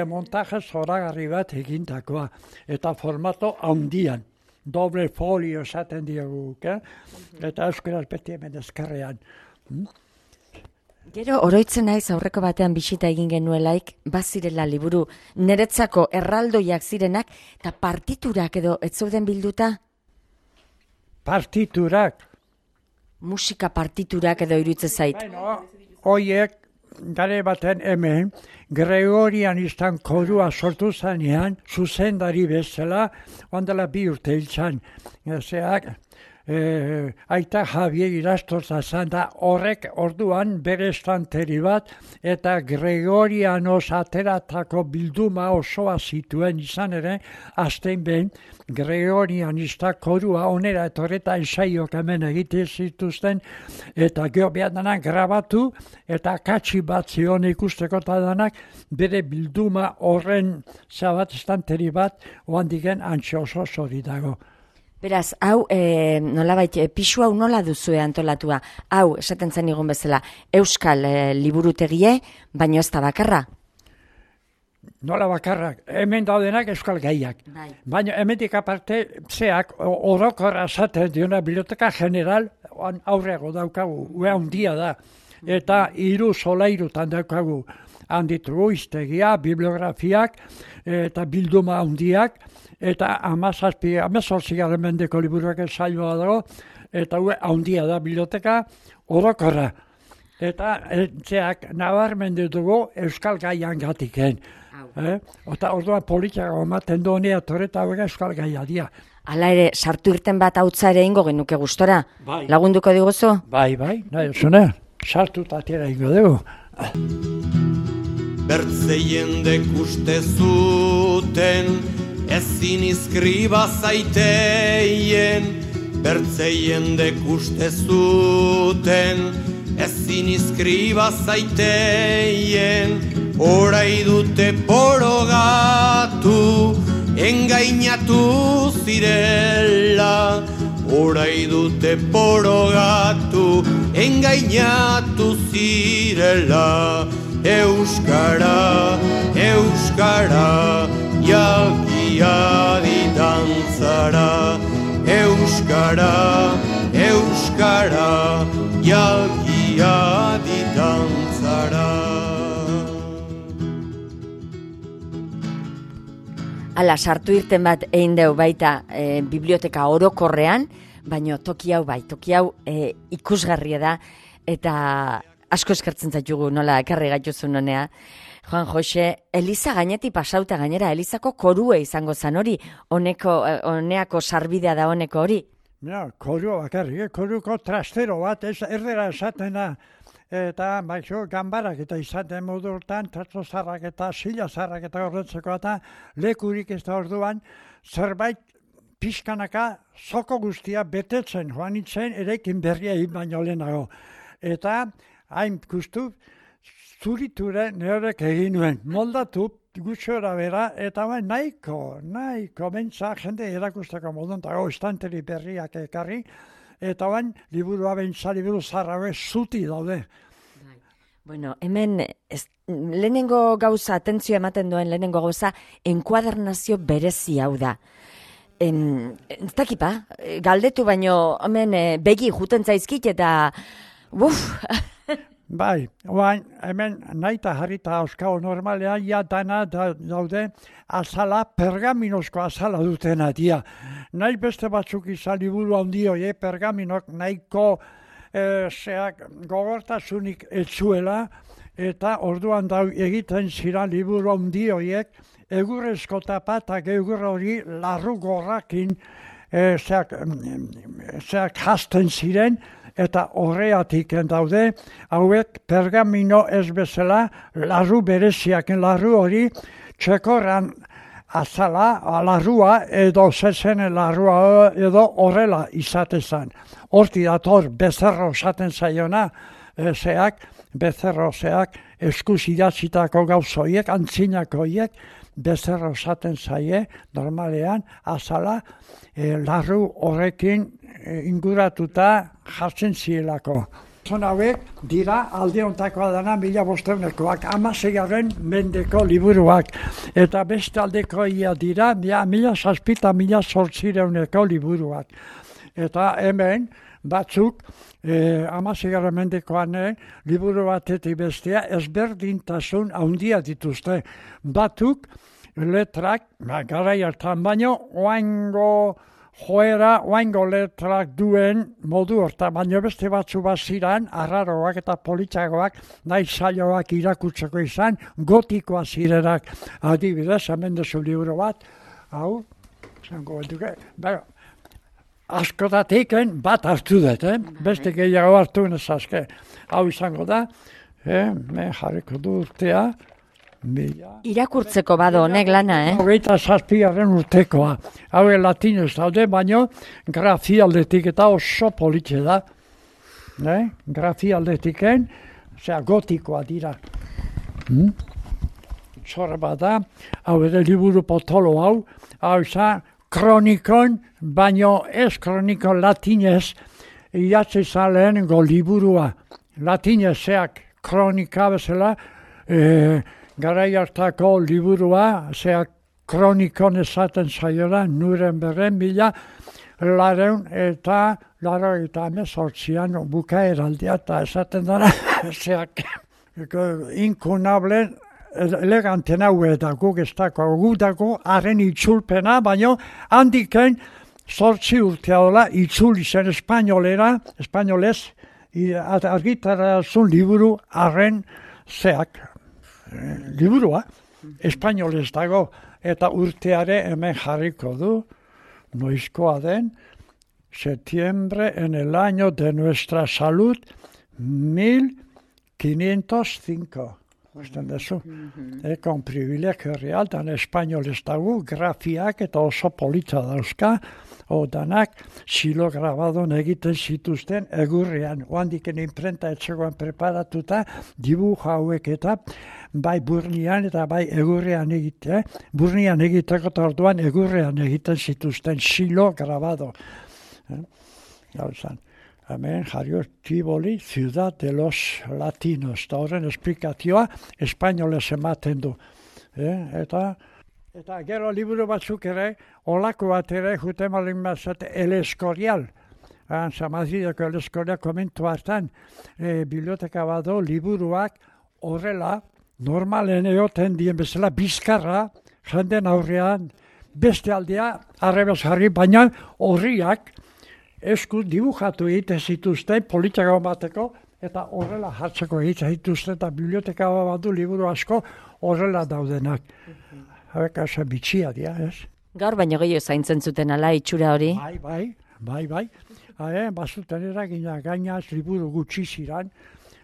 Montaje zoragarri bat egindakoa, eta formato handian. Doble folio esaten dioguk, eta euskaraz beti hemen ezkerrean. Gero, oroitzen naiz aurreko batean bisita egin genuelaik, bazirela liburu niretzako erraldoiak zirenak, eta partiturak edo ez zeuden bilduta? Partiturak? Musika partiturak edo iruditzen zait. Hoiek, gare baten hemen, Gregorianistan korua sortu zanean, zuzendari bezala, ondela 2 urte hiltzan. Aita Javier Irastorza zan da horrek orduan bere estanteri bat eta Gregorianos ateratako bilduma osoa zituen izan ere, azten behin Gregorianista korua onera etorreta ensaiok hemen egite zituzten eta geho behar danak grabatu eta katxi bat zion ikusteko eta danak bere bilduma horren zabat estanteri bat oan digen antxe oso zori dago. Beraz, hau, nolabait, pisu hau nola duzue antolatua? Hau, esaten zen igun bezala, euskal liburutegie, baino ez da bakarra? Nola bakarrak, hemen daudenak euskal gaiak. Baina hemendik aparte, zeak, orokorra esaten diona biblioteka general, aurrego daukagu, ue handia da. Eta 3 solairutan daukagu, handitugu iztegia, bibliografiak, eta bilduma handiak, eta 18. mendeko liburuak saioa dago, eta handia da biblioteka orokorra. Eta zeak nabarmendu dugu euskal gaian gatiken. Eta orduan politiako ematen du honea torreta euskal gaia dia. Hala ere, sartu irten bat hautza ere ingo genuke gustora. Bai. Lagunduko diguzu? Bai, nahi zune, sartu tatera ingo dugu. Bertzeien dekuste zuten, ezin izkriba zaiteien, bertzeien dekuste zuten, ezin izkriba zaiteien, orai dute porogatu, engainatu zirela, orai dute porogatu, engainatu zirela, euskara, euskara, jalgia ditantzara, euskara, euskara, jalgia ditantzara. Hala, sartu irten bat egin deu baita biblioteka orokorrean, baino toki hau bai, toki hau ikusgarria da, eta asko eskertzen zaitugu nola ekarri gaituzun honea. Juan Jose, Eliza gainetik pasauta gainera, Elizako korue izango zan hori, honeako sarbidea da honeko hori? Ja, korua bakarrik, koruko trastero bat, erdera esaten da, eta baixo ganbarak eta izaten modurtan, trasto zarrak eta sila zarrak eta horretzeko eta lekurik ez da orduan, zerbait pixkanaka zoko guztia betetzen joan nintzen erekin berria egin baino lehenago. Eta hain guztu zuriture neorek egin nuen. Moldatu gutxora bera eta nahiko bentsa jende erakusteko modun dago estanteri berriak ekarri eta liburua bentsa liburu zarraue zuti daude. Bueno, hemen lehenengo gauza, atentzio ematen duen lehenengo gauza, enkuadernazio berezi hau da. Ez dakipa, galdetu baino hemen begi juten zaizkit eta Bai, hemen nahi eta jarrita auskao normalean, ja dana daude azala, pergaminozko azala dutena dia. Nahi beste batzuk izan liburu handioi, pergaminok nahiko gogortasunik etzuela, eta orduan egiten ziren liburu handioiek, egurrezko tapa eta egur hori larru gorrakin hasten ziren, eta horreatik daude, hauek pergamino ez bezala, larru bereziaken larru hori, txekorran azala, larrua edo zezenen larrua edo horrela izatezan. Horti dator bezerro esaten zaiona, bezerro eskuz idatzitako gauzoiek, antzinakoiek, bezerro esaten zaie, normalean, azala, larru horrekin inguratuta jartzen zielako. Zon hauek dira alde hontakoa dana 1500-ekoak, 16. mendeko liburuak. Eta beste aldekoia dira 1700 eta 1800-eko liburuak. Eta hemen batzuk 16. mendekoan liburu batetik bestea ezberdintasun handia dituzte. Batzuk letrak, garai hartan baino, oaingo letrak duen modu horta, baina beste batzu baziran, arraroak eta politxagoak, nahi saioak irakutzeko izan, gotikoa zirenak. Adibidez, hemen dezu liburu bat, hau, zango duke, askotatik bat hartu dut, beste gehiago hartu nezazke. Hau izango da, jarriko du urtea, irakurtzeko bado honek lana, 27. urtekoa. Hau latinez daude, baino grafialdetik eta oso politxe da. Grafialdetiken, gotikoa dira. Zorra bada, hau ere liburu potolo hau izan kronikon, baino ez kronikon latinez, idatzi zan lehenengo liburua. Latinezeak kronika bezala, garai hartako liburua, kronikon esaten zaiora, Nurembergen 1818an bukaeraldia eta esaten dara, inkunablen eleganten hau eta guk ez dako haren itzulpena, baino handiken 8 urtea dola itzuli zen espainolez, argitarazun liburu haren liburua, espainolez dago, eta urteare hemen jarriko du, noizkoa den, septiembre en el año de nuestra salud, 1505. Usten dezu, con privilegio real, dan espainolez dago, grafiak eta oso polita dauzka, danak silo grabadon egiten zituzten egurrean. Oandiken imprenta etxegoan preparatuta, dibuja hauek eta bai burnian eta bai egurrean egite. Burnian egiteko orduan egurrean egiten zituzten silo grabado. Hemen jario Tivoli, Ciudad de los Latinos. Eta horren esplikazioa espainolez ematen du. Eta gero liburu batzuk ere, olako bat ere, jute malin bazate, El Escorial. Madrideko El Escorial komentu hartan, biblioteka bado liburuak horrela, normalen egoten dien bezala, bizkarra, jenden aurrean, beste aldea, arrebez jarri, baina horriak, eskuz dibujatu egiten zituzten, politiko bateko, eta horrela hartzeko egiten zituzten, eta biblioteka badu liburu asko horrela daudenak. Hauek asa bitxia dira, ez? Gaur baino gehiago zaintzen zuten ala itxura hori? Bai. Bazuten eragina gainaz liburu gutxi ziran,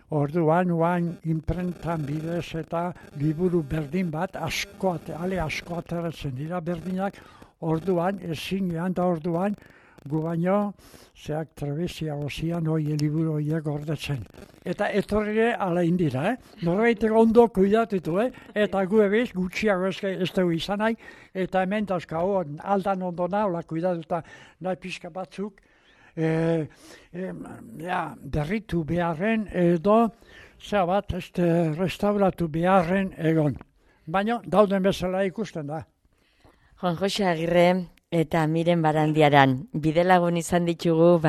orduan imprentan bidez eta liburu berdin bat, asko ateratzen dira berdinak, orduan, ezinean da orduan, gu baino, zeak trebezia ozian hoi liburu horiek gordetzen. Eta etorri ala indira, Norbaitek ondo kuidatutu, eta gu ebiz gutxiago ez dugu izan nahi, eta hemen dazkau aldan ondo nahola kuidatuta nahi pixka batzuk, berritu beharren edo, bat, restauratu beharren egon. Baina dauden bezala ikusten da. Juan Jose Agirre eta Miren Barandiaran bidelagun izan ditugu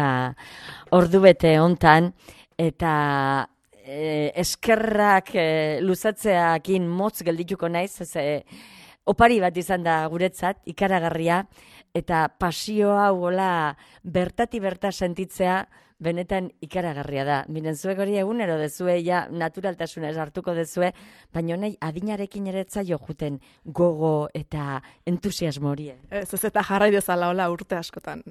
ordubete hontan, eta eskerrak luzatzeakin motz geldituko naiz, opari bat izan da guretzat, ikaragarria, eta pasioa hola bertati berta sentitzea benetan ikaragarria da. Miren, zuek hori egunero dezue, naturaltasunez hartuko dezue, baina nahi adinarekin ere etzaio juten gogo eta entusiasmo hori. Ez eta jarrai dezala hola urte askotan.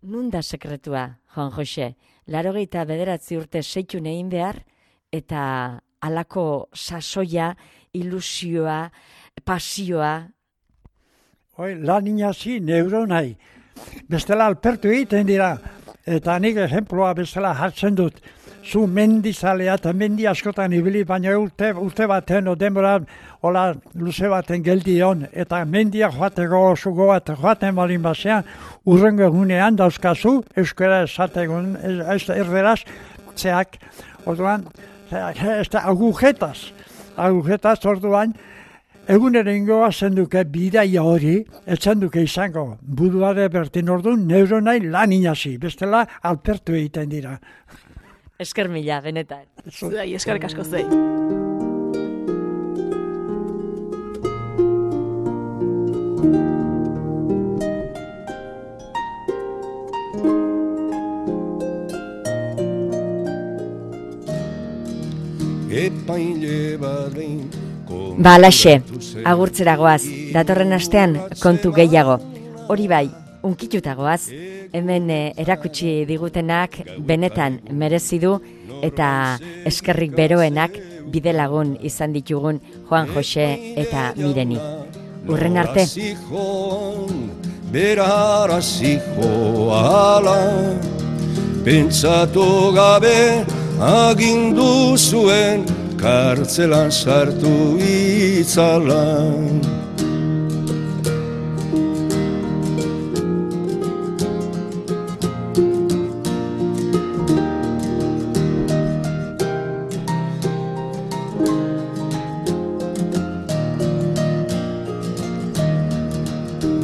Nun da sekretua, Juan Jose? 89 urte seitun egin behar, eta halako sasoia, ilusioa, pasioa. Lan inazi neuronai. Bestela alpertu egiten dira. Eta nik ejemploa bezala hartzen dut. Zu mendizalea eta mendi askotan ibili, baina urte baten o denbora hola luze baten geldion. Eta mendia joateko oso goat joaten balin basean, urrengo egunean dauzkazu, euskara esategun, erderaz, zeak, orduan, agujetaz orduan, egunero ingoa zenduke bidaia hori, etzenduke izango buduare bertin orduan, neuronai lan inazi, bestela alpertu egiten dira. Esker mila, benetan. Zuei, eskerrik asko zuei. Alaxe, agurtzera goaz, datorren astean kontu gehiago. Hori bai, unkituta goaz, hemen erakutsi digutenak benetan merezi du, eta eskerrik beroenak bidelagun izan ditugun Juan Jose eta Mireni. Urren arte. Beraraziko ala, pentsatu gabe agindu zuen, kartzelan sartu itzala.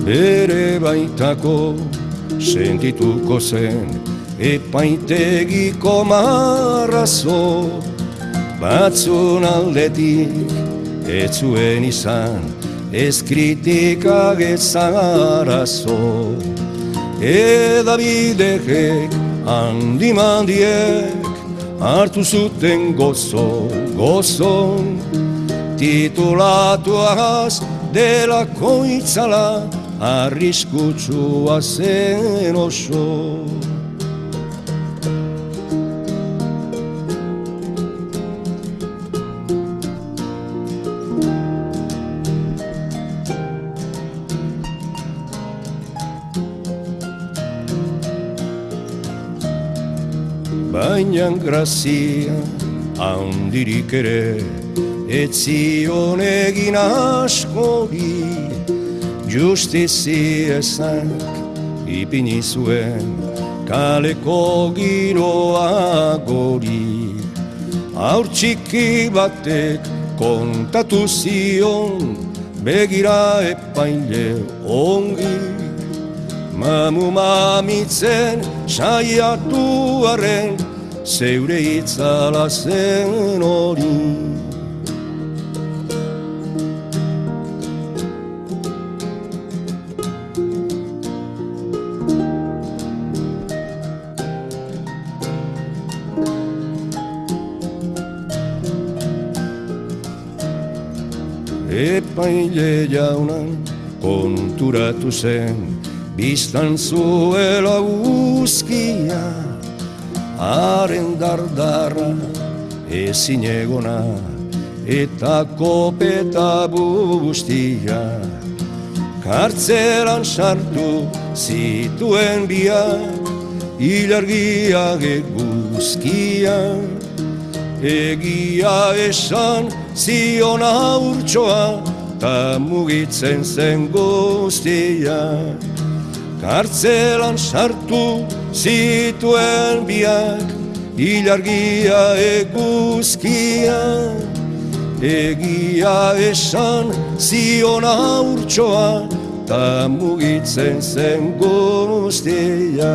Bere baitako sentituko zen epaitegiko marrazo, batzun aldetik ez zuen izan, ez kritikak ez arazo. Edabidek handimandiek hartu zuten gozo, titulatuaz delako itzala, arriskutsua zen oso. Baina grazia handirik ere ez zion egin askori, justiziezak ipini zuen kaleko giroa gori. Haur txiki batek kontatu zion, begira epaile ongi, mamu mamitzen saiatu arren, zeure itzala zen hori. Epaile jaunan konturatu zen, biztan zuela uzkia, haren dardarra ezin egona, eta kopeta bustia. kartzelan sartu zituen biak, ilargiak eguzkiak. Egia esan zion haurtxoa, ta mugitzen zen guztia. Kartzelan sartu zituen biak, ilargia eguzkia. Egia esan zion haurtxoa, ta mugitzen zen guztia.